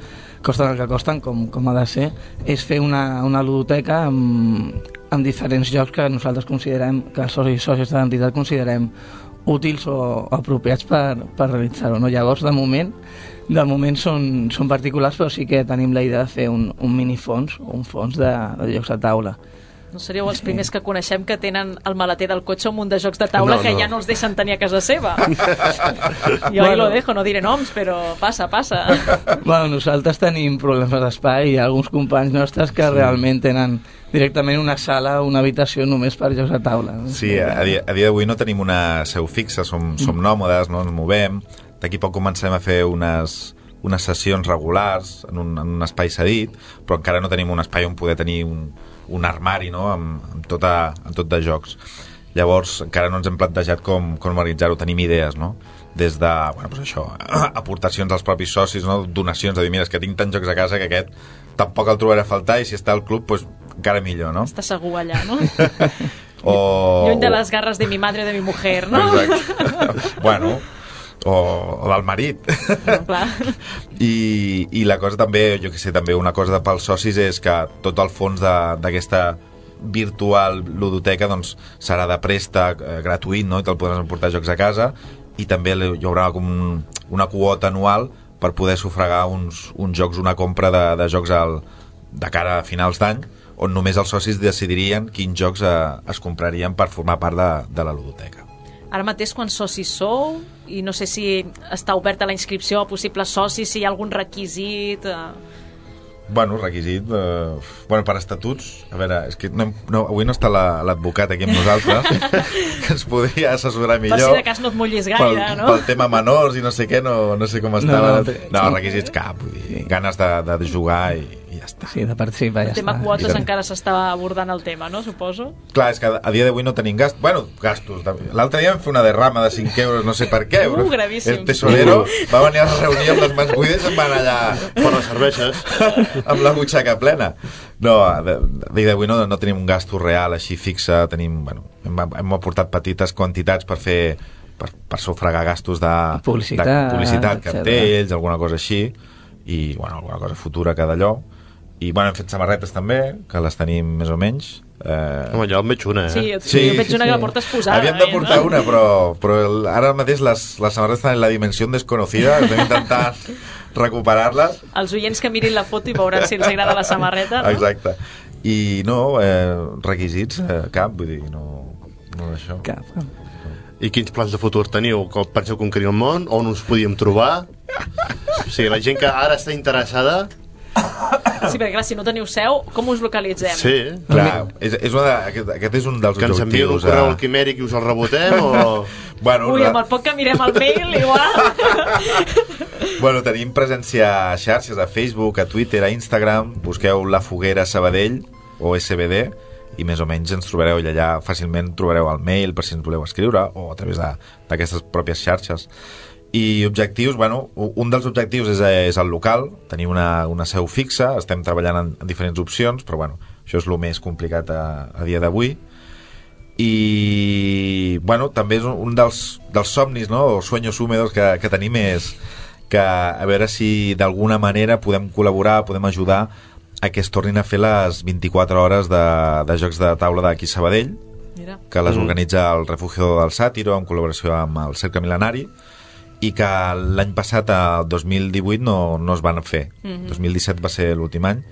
costen el que costen, com ha de ser, és fer una ludoteca amb diferents jocs que nosaltres considerem, que els socis i sòcies de l'entitat considerem útils o apropiats per realitzar-ho, no? Llavors, de moment són particulars, però sí que tenim la idea de fer un minifons o un fons de jocs de taula. No seríeu els primers que coneixem que tenen el maleter del cotxe un munt de jocs de taula que ja no els deixen tenir a casa seva. Jo ahí lo dejo, no diré noms, però passa. Bueno, nosaltres tenim problemes d'espai, hi ha alguns companys nostres que realment tenen directament una sala, una habitació només per jocs de taula. Sí, a dia d'avui no tenim una seu fixa, som nòmades, no ens movem. D'aquí poc comencem a fer unes sessions regulars en un espai cedit, però encara no tenim un espai on poder tenir un armari, no?, amb tot de jocs. Llavors encara no ens hem plantejat com organitzar-ho. Tenim idees, no?, des de, bueno, doncs això, aportacions als propis socis, no?, donacions, de dir, mira, és que tinc tants jocs a casa que aquest tampoc el trobaré a faltar, i si està al club, doncs encara millor, no? Està segur allà, no? Lluny de les garres de mi madre o de mi mujer, no? Exacte. Bueno, o del marit. Clar. I la cosa també, jo que sé, també una cosa pels socis és que tot el fons d'aquesta virtual ludoteca doncs serà de préstec gratuït, no?, i te'l podràs emportar jocs a casa, i també hi haurà com una quota anual per poder sufragar uns jocs, una compra de jocs de cara a finals d'any, on només els socis decidirien quins jocs es comprarien per formar part de la ludoteca. Ara mateix quants socis sou? I no sé si està oberta la inscripció a possibles socis, si hi ha algun requisit... Bueno, requisit... per estatuts... A veure, és que avui no està l'advocat aquí amb nosaltres, que ens podria assessorar millor. Per si de cas no et mullis gaire, no? Pel tema menors i no sé què, no sé com estava. No, requisits cap, vull dir, ganes de jugar i ja està. Sí, de participar, ja està. El tema quotes encara s'està abordant el tema, no, suposo? Clar, és que a dia d'avui no tenim gastos. Bueno, gastos. L'altre dia vam fer una derrama de 5 euros, no sé per què. Gravíssim. El tesorero va venir a la reunió amb les mans buides i em van allà... Per les cerveses. Amb la butxaca plena. No, a dia d'avui no tenim un gasto real així fixe. Tenim, bueno, hem aportat petites quantitats per fer... per sufragar gastos de publicitat, cartells, alguna cosa així, i, bueno, alguna cosa futura que d'allò. I, bueno, hem fet samarretes també, que les tenim més o menys. Home, jo en veig una, Sí, jo veig una que la portes posada. Havíem de portar una, però ara mateix les samarretes estan en la dimensió desconocida, estem intentant recuperar-les. Els oients que mirin la foto i veuran si els agrada la samarreta, no? Exacte. I no, requisits, cap, vull dir, no d'això. Cap. I quins plans de futur teniu? Com penseu conquerir el món? On us podíem trobar? O sigui, la gent que ara està interessada... Sí, perquè clar, si no teniu seu, com us localitzem? Sí, clar, aquest és un dels objectius. Que ens envien un correu al Quimèric i us el rebotem o... Bueno, ui, amb el poc que mirem el mail, igual. Bueno, tenim presència a xarxes, a Facebook, a Twitter, a Instagram. Busqueu La Foguera Sabadell o SBD i més o menys ens trobareu allà. Fàcilment trobareu el mail per si ens voleu escriure o a través d'aquestes pròpies xarxes. I objectius, bueno, un dels objectius és el local, tenir una seu fixa, estem treballant en diferents opcions, però bueno, això és el més complicat a dia d'avui. I bueno, també és un dels somnis, no?, o sueños húmedos que tenim, és que a veure si d'alguna manera podem col·laborar, podem ajudar a que es tornin a fer les 24 hores de jocs de taula d'aquí a Sabadell. Mira. Que les organitza el Refugio del Sàtiro en col·laboració amb el Cercle Mil·lenari, i que l'any passat, el 2018, no es van fer. 2017 va ser l'últim any,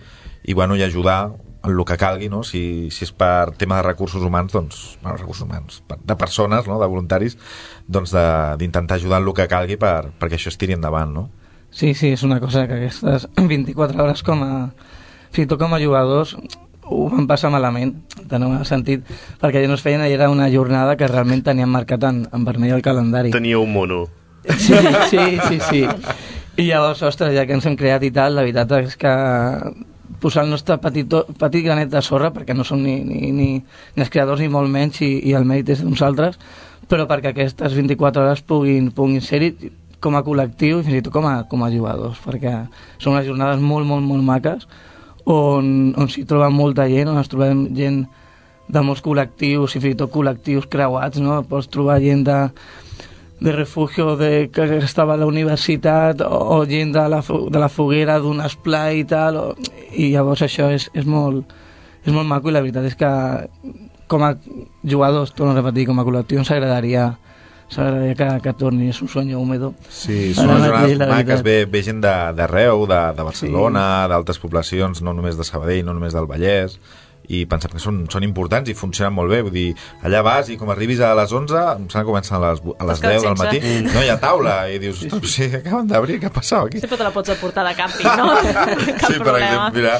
i bueno, i ajudar en el que calgui, no? Si és per tema de recursos humans, doncs, bueno, recursos humans, de persones, no?, de voluntaris, doncs d'intentar ajudar en el que calgui perquè això es tiri endavant, no? Sí, és una cosa que aquestes 24 hores fins i tot com a jugadors ho van passar malament, en el sentit, perquè ja no es feien, era una jornada que realment teníem marcat en vermell al calendari. Tenia un mono. Sí. I llavors, ostres, ja que ens hem creat i tal, la veritat és que posar el nostre petit granet de sorra, perquè no som ni els creadors ni molt menys, i el mèrit és d'uns altres, però perquè aquestes 24 hores puguin ser-hi com a col·lectiu i fins i tot com a jugadors, perquè són unes jornades molt, molt, molt maques, on s'hi troba molta gent, on ens trobem gent de molts col·lectius i fins i tot col·lectius creuats, no? Pots trobar gent de refugio que estava a la universitat o gent de la foguera d'un esplai i tal, i llavors això és molt maco, i la veritat és que com a jugadors, torno a repetir, com a col·lectiu ens agradaria que torni, és un sueño húmedo. Sí, són unes jornades maques, ve gent d'arreu, de Barcelona, d'altres poblacions, no només de Sabadell, no només del Vallès, i pensem que són importants i funcionen molt bé, vull dir, allà vas i com arribis a les 11, em sembla que comencen a les 10 del matí, no hi ha taula i dius, sí, acaben d'obrir, què ha passat aquí? Sempre te la pots aportar de càmping, no? Cap sí, per exemple, mira,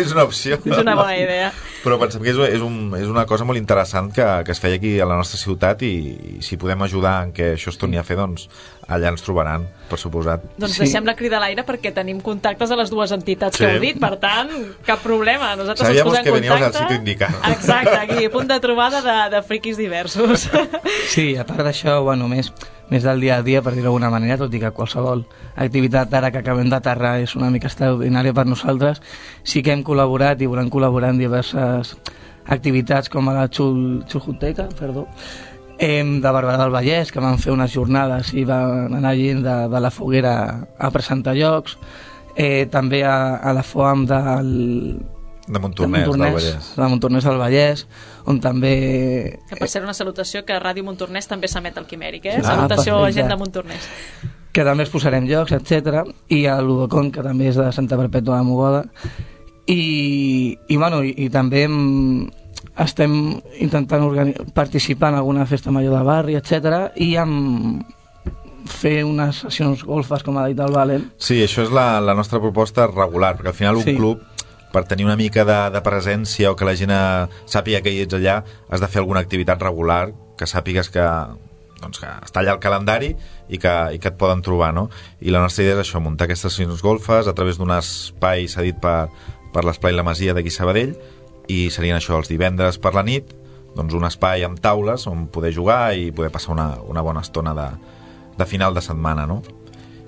és una opció. És una bona idea. Però pensem que és una cosa molt interessant que es feia aquí a la nostra ciutat i si podem ajudar en que això es torni a fer, doncs allà ens trobaran, per suposat. Doncs deixem la crida a l'aire perquè tenim contactes a les dues entitats que heu dit, per tant, cap problema. Nosaltres ens posem en contacte. Sabíamos que veníamos al sitio indicado. Exacte, aquí, punt de trobada de friquis diversos. Sí, a part d'això, bueno, més del dia a dia, per dir-ho d'alguna manera, tot i que qualsevol activitat ara que acabem d'aterrar és una mica extraordinària per nosaltres, sí que hem col·laborat i volem col·laborar en diverses activitats com a la Xuljoteca, de Barberà del Vallès, que van fer unes jornades i van anar gent de la foguera a presentar llocs, també a la FOAM de Montornès del Vallès. De Montornès del Vallès, on també... Que per ser una salutació que Ràdio Montornès també s'emet al Quimèric, salutació a gent de Montornès. Que també es posarem llocs, etc. I a l'Udocon, que també és de Santa Perpètua de Mogoda. I també estem intentant participar en alguna festa major de barri, etc. I fer unes sessions golfes, com ha dit el Valen. Sí, això és la nostra proposta regular, perquè al final un club, per tenir una mica de presència o que la gent sàpiga que hi ets allà, has de fer alguna activitat regular, que sàpigues que està allà al calendari i que et poden trobar, no? I la nostra idea és això, muntar aquestes sessions golfes a través d'un espai cedit per l'Esplai La Masia d'aquí Sabadell, i serien això, els divendres per la nit, doncs un espai amb taules on poder jugar i poder passar una bona estona de final de setmana, no?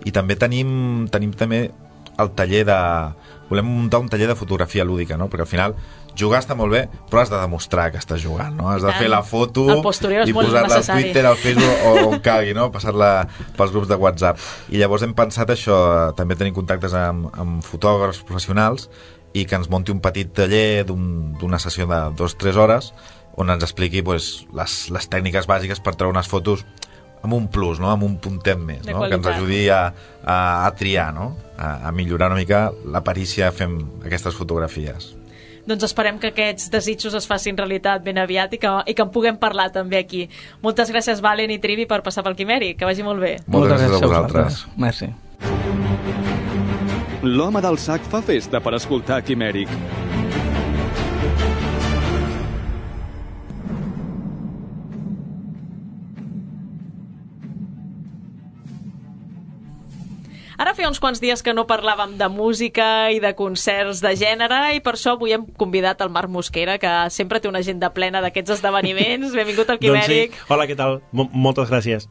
I també tenim també el taller volem muntar un taller de fotografia lúdica, no? Perquè al final jugar està molt bé, però has de demostrar que estàs jugant, no? Has de fer la foto i posar-la al Twitter, al Facebook o on calgui, no? Passar-la pels grups de WhatsApp. I llavors hem pensat això, també tenim contactes amb fotògrafs professionals i que ens munti un petit taller d'una sessió de 2-3 hores on ens expliqui les tècniques bàsiques per treure unes fotos amb un plus, no? Amb un puntet més, no? Que ens ajudi a triar, no? A millorar una mica la perícia fent aquestes fotografies. Doncs esperem que aquests desitjos es facin realitat ben aviat i que en puguem parlar també aquí. Moltes gràcies, Valen i Trivi, per passar pel Quimèric. Que vagi molt bé. Moltes gràcies a vosaltres. Merci. L'home del sac fa festa per escoltar Quimèric. Ara feia uns quants dies que no parlàvem de música i de concerts de gènere i per això avui hem convidat el Marc Mosquera, que sempre té una agenda plena d'aquests esdeveniments. Benvingut al Quimèric. Doncs sí. Hola, què tal? Moltes gràcies.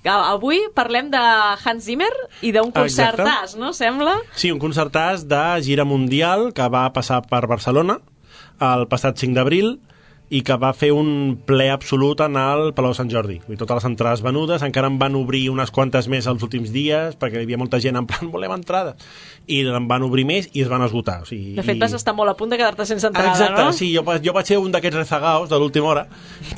Avui parlem de Hans Zimmer i d'un concertàs, no? Sembla? Sí, un concertàs de gira mundial que va passar per Barcelona el passat 5 d'abril i que va fer un ple absolut en el Palau Sant Jordi. I totes les entrades venudes, encara en van obrir unes quantes més els últims dies, perquè hi havia molta gent en plan, volem entrada. I en van obrir més i es van esgotar. O sigui, de fet, vas estar molt a punt de quedar-te sense entrada, exacte, no? Sí, jo vaig ser un d'aquests rezagaos de l'última hora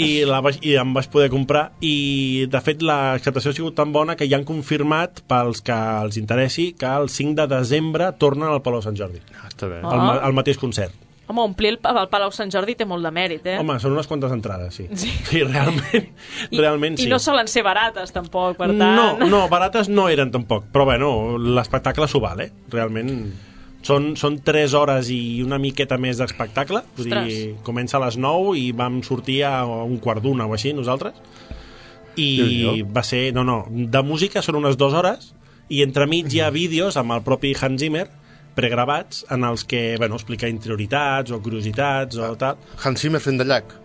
i em vaig poder comprar i, de fet, l'acceptació ha sigut tan bona que ja han confirmat, pels que els interessi, que el 5 de desembre tornen al Palau Sant Jordi. Està bé. El mateix concert. Home, omplir el Palau Sant Jordi té molt de mèrit, eh? Home, són unes quantes entrades, sí. Sí, realment sí. I no solen ser barates, tampoc, per tant... No, barates no eren tampoc, però bueno, l'espectacle s'ho val, Realment són 3 hores i una miqueta més d'espectacle. Vull dir, comença a les 9 i vam sortir a un quart d'una o així, nosaltres. I va ser... No, de música són unes 2 hores i entremig hi ha vídeos amb el propi Hans Zimmer pregravats en els que, explica interioritats o curiositats o tal. Hans Zimmer fent de Llach.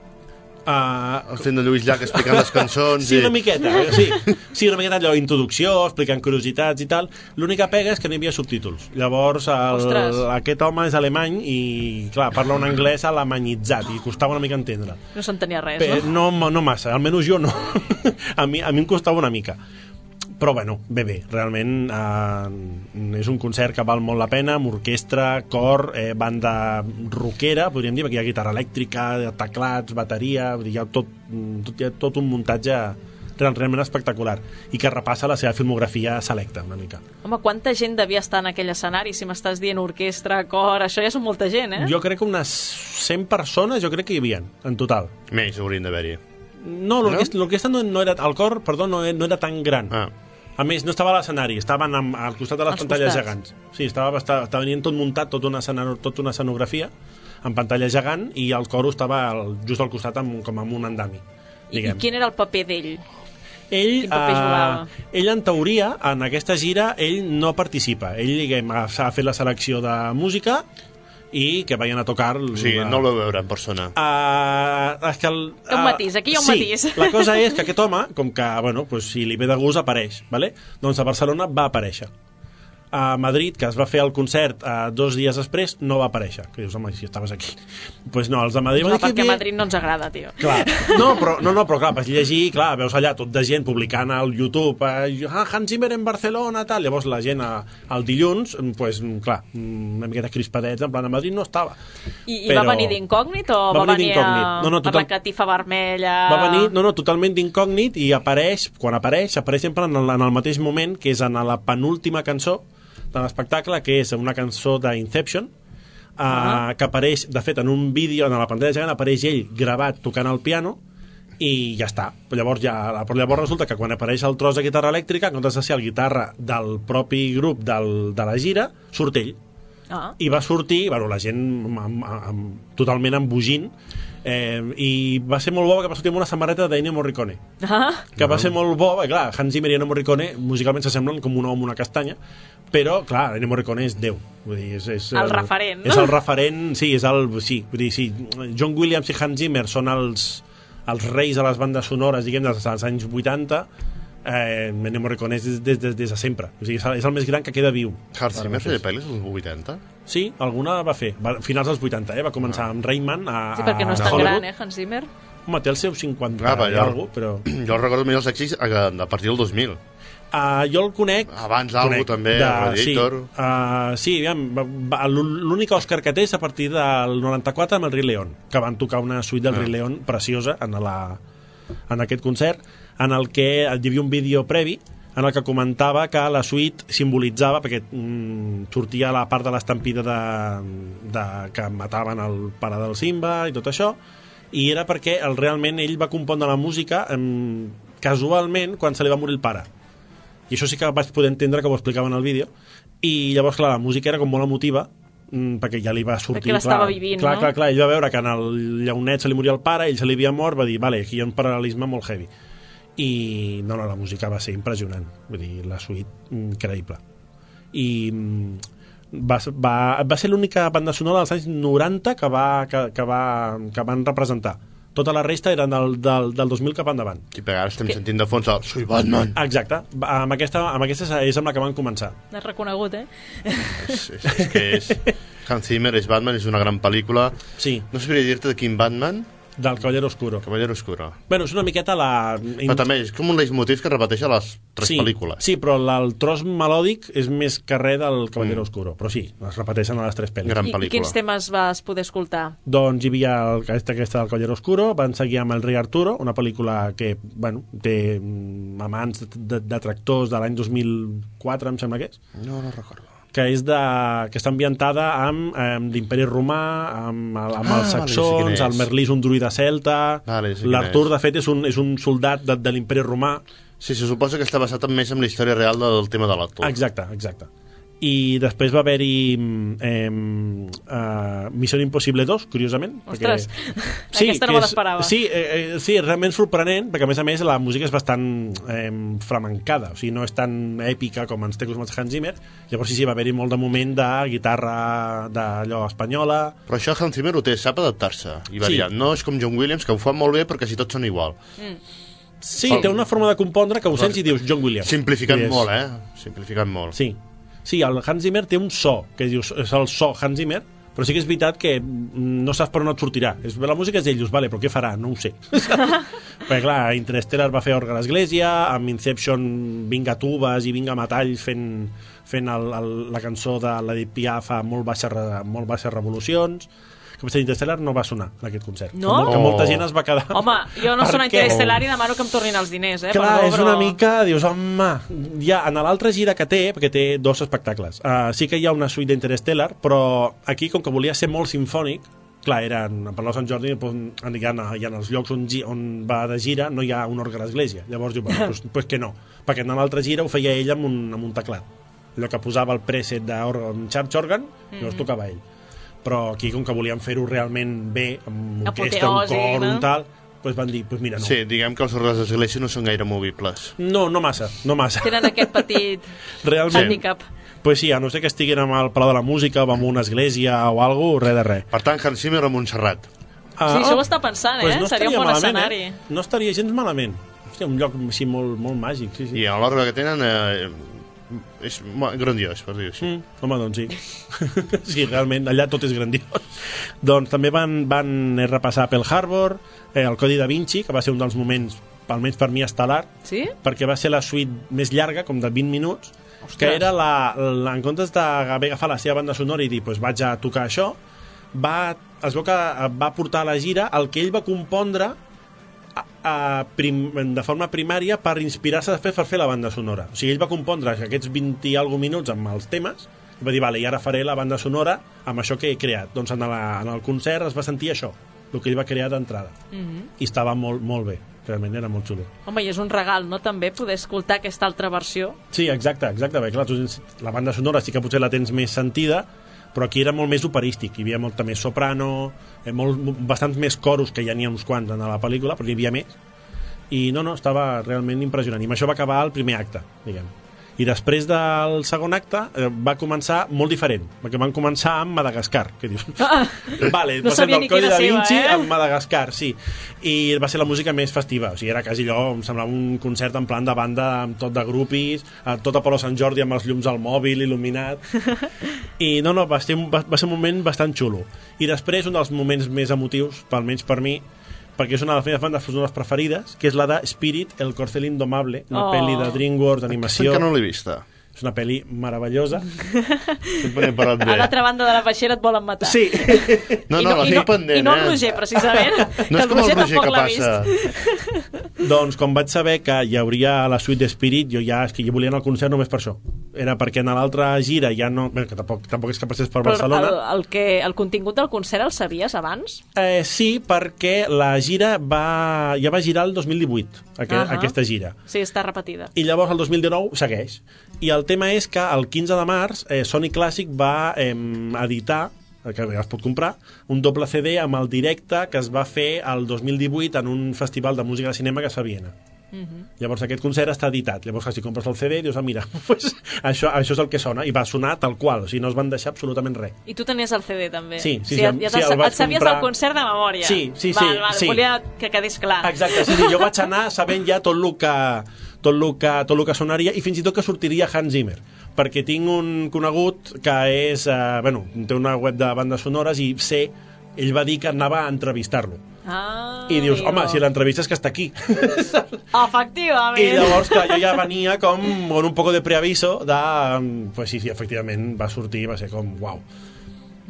Fent de Lluís Llach explicant les cançons. Sí, una miqueta, sí, una miqueta allò, introducció, explicant curiositats i tal. L'única pega és que no hi havia subtítols. Llavors, aquest home és alemany i, clar, parla un anglès alemanyitzat i costava una mica entendre. No s'entenia res, no? No massa, almenys jo no. A mi em costava una mica. Però bé, realment és un concert que val molt la pena, amb orquestra, cor, banda rockera, podríem dir, perquè hi ha guitarra elèctrica, teclats, bateria, hi ha tot un muntatge realment espectacular i que repassa la seva filmografia selecta una mica. Home, quanta gent devia estar en aquell escenari? Si m'estàs dient orquestra, cor, això ja és molta gent, Jo crec que unes 100 persones jo crec que hi havia, en total. Més haurien d'haver-hi. No, l'orquestra no era... El cor, perdó, no era tan gran. A més, no estava a l'escenari, estaven al costat de les pantalles gegants. Sí, estava venint tot muntat, tota una escenografia en pantalla gegant, i el coro estava just al costat com amb un andami. I quin era el paper d'ell? Ell, Quin paper jugava? Ell, en teoria, en aquesta gira, ell no participa. Ell, s'ha fet la selecció de música i que vayan a tocar... Sí, no el veu veure en persona. És que un matís, aquí hi ha un matís. La cosa és que aquest home, com que, bueno, pues, si li ve de gust, apareix, ¿vale? Doncs a Barcelona va aparèixer. A Madrid, que es va fer el concert 2 dies després, no va aparèixer. Que dius, home, si estaves aquí. Doncs no, els de Madrid... No, perquè a Madrid no ens agrada, tio. Clar. No, però clar, vas llegir, clar, veus allà tot de gent publicant al YouTube Hans Zimmer en Barcelona, tal. Llavors la gent el dilluns, pues, clar, una miqueta crispadets, en plan, a Madrid no estava. I va venir d'incògnit o va venir amb la catifa vermella? Va venir, totalment d'incògnit, i quan apareix sempre en el mateix moment, que és en la penúltima cançó de l'espectacle, que és una cançó d'Inception, que apareix, de fet, en un vídeo, en la pantalla gegant, apareix ell gravat tocant el piano, i ja està. Però llavors resulta que quan apareix el tros de guitarra elèctrica, en comptes de ser el guitarra del propi grup de la gira, surt ell. I va sortir, la gent totalment embogint, i va ser molt bo, que va sortir amb una samarreta d'Ennio Morricone, que va ser molt bo, clar, Hans Zimmer i Ennio Morricone musicalment s'assemblen com un ou amb una castanya, però clar, Ennio Morricone és Déu, vull dir, és el referent, no? És el referent, sí, vull dir, sí, John Williams i Hans Zimmer són els reis de les bandes sonores, diguem, dels anys 80. Ennio Morricone és des de sempre, o sigui, és el més gran que queda viu. Hans Zimmer feia pel·lis als 80? Sí, alguna va fer, finals dels 80, va començar amb Rayman sí, perquè no és tan gran, Hans Zimmer. Home, té el seu 50 i alguna cosa, però... Jo el recordo millor els èxits a partir del 2000. Jo el conec... Abans algú també, Radiator... Sí, l'únic Òscar que té és a partir del 94 amb el Rei León, que van tocar una suite del Rei León preciosa en aquest concert, en el que hi havia un vídeo previ en el que comentava que la suite simbolitzava, perquè sortia la part de l'estampida que mataven el pare del Simba i tot això, i era perquè realment ell va compondre la música casualment quan se li va morir el pare. I això sí que vaig poder entendre, que ho explicava en el vídeo, i llavors, clar, la música era com molt emotiva, perquè ja li va sortir... Perquè l'estava vivint, no? Clar, ell va veure que en el llaunet se li moria el pare, ell se li havia mort, va dir, vale, aquí hi ha un paral·lelisme molt heavy. I no, la música va ser impressionant, vull dir, la suite increïble. I va ser l'única banda sonora dels anys 90 que van representar. Tota la resta eren del 2000 cap endavant. I per ara estem sentint de fons el Soy Batman. Exacte, amb aquesta és amb la que van començar. L'has reconegut, És que Hans Zimmer és Batman, és una gran pel·lícula. Sí. No sabria dir-te de quin Batman. Del Caballero Oscuro. Caballero Oscuro. Bueno, és una miqueta Però també és com un leitmotiv que es repeteix a les 3 pel·lícules. Sí, però el tros melòdic és més carrer del Caballero Oscuro. Però sí, es repeteixen a les 3 pel·lícules. Gran pel·lícula. I quins temes vas poder escoltar? Doncs hi havia aquesta del Caballero Oscuro, van seguir amb El Rei Arturo, una pel·lícula que, bueno, té amants de tractors de l'any 2004, em sembla que és. No recordo. Que està ambientada amb l'Imperi Romà, amb els saxons, el Merlí és un druida celta, l'Artur, de fet, és un soldat de l'Imperi Romà. Sí, se suposa que està basat més en la història real del tema de l'Artur. Exacte. I després va haver-hi Missió Impossible 2, curiosament. Ostres, aquesta no me l'esperava. Sí, realment sorprenent, perquè a més la música és bastant flamencada, o sigui, no és tan èpica com ens té acostumats Hans Zimmer. Llavors sí, va haver-hi molt de moment de guitarra d'allò espanyola. Però això Hans Zimmer ho té, sap adaptar-se i variant. Sí. No és com John Williams, que ho fa molt bé perquè si tots són igual. Sí, té una forma de compondre que ho sents i dius John Williams. Simplificant molt, Simplificant molt. Sí, el Hans Zimmer té un so, que dius, és el so Hans Zimmer, però sí que és veritat que no saps per on et sortirà. La música és d'ells, vale, però què farà? No ho sé. Perquè clar, Interstellar va fer Orgue a l'Església, amb Inception vinga tubes i vinga metalls fent la cançó de l'Edith Piaf a molt baixes revolucions. que potser Interstellar no va sonar en aquest concert. No? Que molta gent es va quedar... Home, jo no sono Interstellar i demano que em tornin els diners, Clar, perdó, és una mica... Dius, home... Ja, en l'altra gira que té, perquè té 2 espectacles, sí que hi ha una suite d'Interstellar, però aquí, com que volia ser molt simfònic, clar, per Sant Jordi hi ha els llocs on va de gira no hi ha un orgue a l'església, llavors diu, pues que no, perquè en l'altra gira ho feia ell amb un teclat, allò que posava el preset d'un church organ, llavors tocava ell, però aquí com que volíem fer-ho realment bé, amb orquestra, un cor, un tal, pues van dir, pues mira, no. Sí, diguem que els orgues d'església no són gaire movibles. No massa. Tenen aquest petit handicap. Pues sí, a no ser que estiguin amb el Palau de la Música o amb una església o alguna cosa, res de res. Per tant, Hans Zimmer a Montserrat. Sí, això ho està pensant, pues no seria un bon escenari. No estaria gens malament. Hòstia, un lloc així molt, molt màgic. Sí. I l'orgue que tenen és grandiós, per dir-ho així. Home, doncs sí. Sí, realment, allà tot és grandiós. Doncs també van repassar Pearl Harbor, el Codi da Vinci, que va ser un dels moments, almenys per mi, estel·lar, perquè va ser la suite més llarga, com de 20 minuts, que era en comptes d'haver agafat la seva banda sonora i dir, pues vaig a tocar això, es veu que va portar a la gira el que ell va compondre de forma primària per inspirar-se després per fer la banda sonora. O sigui, ell va compondre aquests 20 i alguns minuts amb els temes i va dir, vale, i ara faré la banda sonora amb això que he creat. Doncs en el concert es va sentir això, el que ell va crear d'entrada. I estava molt, molt bé. Realment era molt xulo. Home, i és un regal, no?, també, poder escoltar aquesta altra versió. Sí, exacte, bé, clar, la banda sonora sí que potser la tens més sentida, però aquí era molt més operístic, hi havia molta més soprano, bastants més coros, que ja n'hi ha uns quants en la pel·lícula, però hi havia més, i no, estava realment impressionant, i amb això va acabar el primer acte, diguem. I després del segon acte va començar molt diferent, perquè van començar amb Madagascar, que dius, vale, no sabia ni Codi da Vinci seva, amb Madagascar, sí, i va ser la música més festiva, o sigui, era quasi allò, em semblava un concert en plan de banda amb tot de grupis, tot a Polo Sant Jordi amb els llums al mòbil il·luminat, i no, va ser un moment bastant xulo. I després un dels moments més emotius, almenys per mi, perquè és una de les meves bandes sonores preferides, que és la de Spirit, el corcel indomable, una pel·li de DreamWorks d'animació. Que no l'he vista. És una pel·li meravellosa. A l'altra banda de la peixera et volen matar. Sí. No, la tinc pendent. I no el Roger, precisament. No és com el Roger que passa. Doncs, com vaig saber que hi hauria la suite d'Spirit, jo volia anar al concert només per això. Era perquè en l'altra gira ja no... Bé, que tampoc és que passés per Barcelona. Però el contingut del concert el sabies abans? Sí, perquè la gira ja va girar el 2018, aquesta gira. Sí, està repetida. I llavors el 2019 segueix. I el tema és que el 15 de març Sony Classic va editar, que ja es pot comprar, un doble CD amb el directe que es va fer el 2018 en un festival de música de cinema que es fa a Viena. Llavors aquest concert està editat, llavors si compres el CD dius, mira, pues, això és el que sona, i va sonar tal qual, o sigui, no es van deixar absolutament res. I tu tenies el CD també? Sí, et sabies el concert de memòria? Sí. Volia que quedés clar. Exacte, sí, jo vaig anar sabent ja tot el que sonaria, i fins i tot que sortiria Hans Zimmer, perquè tinc un conegut que és, té una web de bandes sonores i ell va dir que anava a entrevistar-lo. I dius, home, si l'entrevista és que està aquí. Efectivament. I llavors, clar, jo ja venia com con un poco de preaviso pues sí, efectivament va sortir, va ser com, uau.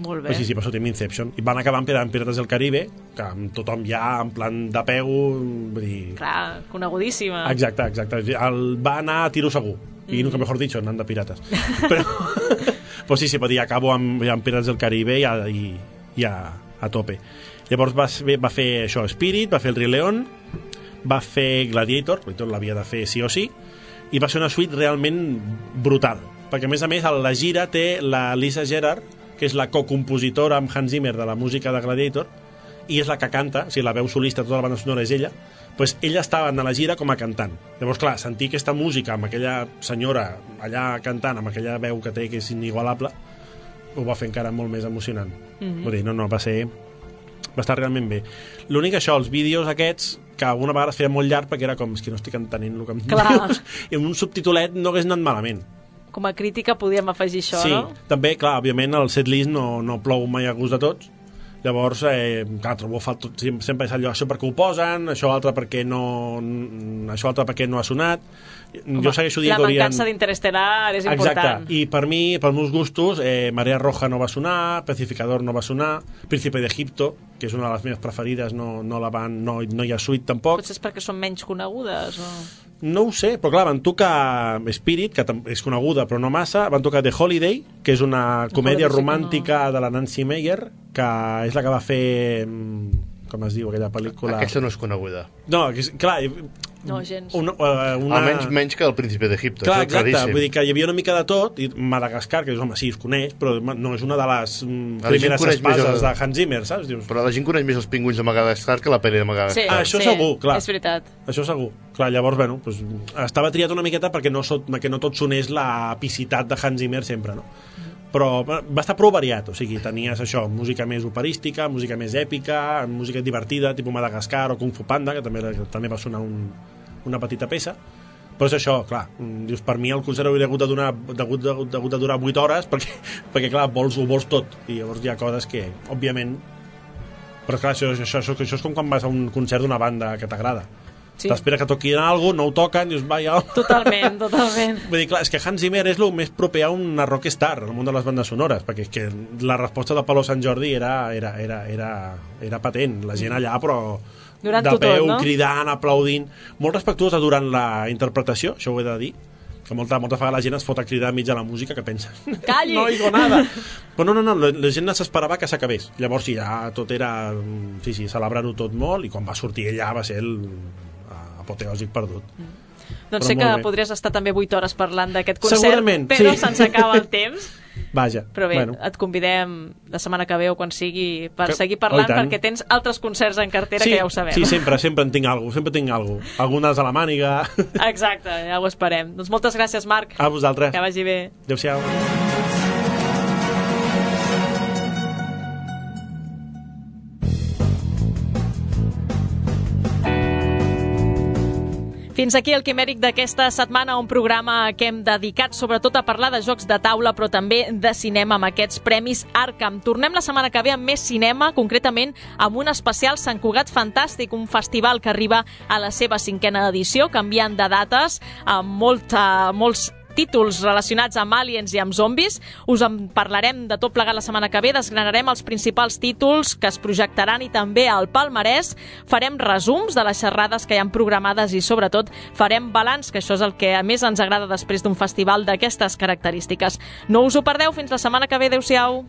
Molt bé. Pues sí, va sortir amb Inception. I van acabar amb Pirates del Caribe, que amb tothom ja en plan de peu, vull dir... Clar, conegudíssima. Exacte. Va anar a tiro segur. I nunca mejor dicho, anant de pirates. Però, pues sí, pot dir, acabo amb Pirates del Caribe i a tope. Llavors va fer això, Spirit, va fer el Rei León, va fer Gladiator l'havia de fer sí o sí, i va ser una suite realment brutal, perquè a més la gira té la Lisa Gerrard, que és la cocompositora amb Hans Zimmer de la música de Gladiator, i és la que canta, o sigui, la veu solista, tota la banda sonora és ella, pues ella estava en la gira com a cantant. Llavors, clar, sentir aquesta música amb aquella senyora allà cantant, amb aquella veu que té, que és inigualable, ho va fer encara molt més emocionant. Vull dir, va estar realment bé. L'únic això, els vídeos aquests, que alguna vegada es feia molt llarg perquè era com, és que no estic entenent el que em dius, i amb un subtitulet no hagués anat malament. Com a crítica podíem afegir això, no? Sí, també, clar, òbviament el setlist no plou mai a gust de tots, llavors, clar, trobo sempre és allò, això perquè ho posen, això altre perquè no ha sonat, jo segueixo dient que la mancança d'Interestelar és important. Exacte, i per mi, pels meus gustos, Marea Roja no va sonar, Pacificador no va sonar, Príncipe d'Egipto, que és una de les meves preferides, no hi ha suite tampoc. Potser és perquè són menys conegudes o... No ho sé, però clar, van tocar Spirit, que és coneguda però no massa, van tocar The Holiday, que és una comèdia romàntica de la Nancy Meyer, que és la que va fer... com es diu aquella pel·lícula? Aquesta no és coneguda. No, clar... No, gens. Almenys menys que el Príncipe d'Egipto. Clar, exacte, vull dir que hi havia una mica de tot, i Madagascar, que home, sí, es coneix, però no és una de les primeres espases de Hans Zimmer, saps? Dius... Però la gent coneix més els pingüins de Madagascar que la pel·li de Madagascar. Sí, això segur, clar. És veritat. Això segur. Clar, llavors, bueno, doncs, estava triat una miqueta perquè no tot sonés la epicitat de Hans Zimmer sempre, no? Però va estar prou variat, o sigui, tenies això, música més operística, música més èpica, música divertida, tipus Madagascar o Kung Fu Panda, que també va sonar una petita peça, però és això, clar, dius, per mi el concert hauria hagut de durar 8 hores perquè clar, ho vols tot, i llavors hi ha coses que, òbviament, però clar, això és com quan vas a un concert d'una banda que t'agrada. Sí. T'espera que toquin alguna cosa, no ho toquen, dius, vaja... Totalment. Vull dir, clar, és que Hans Zimmer és el més proper a una rockstar, al món de les bandes sonores, perquè és que la resposta de Palo Sant Jordi era patent, la gent allà, però durant de peu, no? Cridant, aplaudint, molt respectuosa durant la interpretació, això ho he de dir, que moltes vegades la gent es fot a cridar enmig de la música, que pensa, calli! No oigo nada. Però no, la gent s'esperava que s'acabés. Llavors ja tot era, sí, celebrar-ho tot molt, i quan va sortir ella va ser apoteòsic perdut. Doncs sé que podries estar també 8 hores parlant d'aquest concert, segurament, però sí. se'ns acaba el temps. Vaja, però bé, et convidem la setmana que ve o quan sigui per seguir parlant, perquè tens altres concerts en cartera, que ja ho sabem. Sí, sempre en tinc alguna cosa. Algunes a la màniga. Exacte, ja ho esperem. Doncs moltes gràcies, Marc. A vosaltres. Que vagi bé. Adéu-siau. Fins aquí el Quimèric d'aquesta setmana, un programa que hem dedicat sobretot a parlar de jocs de taula, però també de cinema amb aquests premis Arkham. Tornem la setmana que ve amb més cinema, concretament amb un especial Sant Cugat Fantàstic, un festival que arriba a la seva 5ª edició, canviant de dates, amb molts títols relacionats amb aliens i amb zombis. Us en parlarem de tot plegat la setmana que ve, desgranarem els principals títols que es projectaran i també el palmarès, farem resums de les xerrades que hi ha programades i sobretot farem balanç, que això és el que a més ens agrada després d'un festival d'aquestes característiques. No us ho perdeu, fins la setmana que ve, adéu-siau.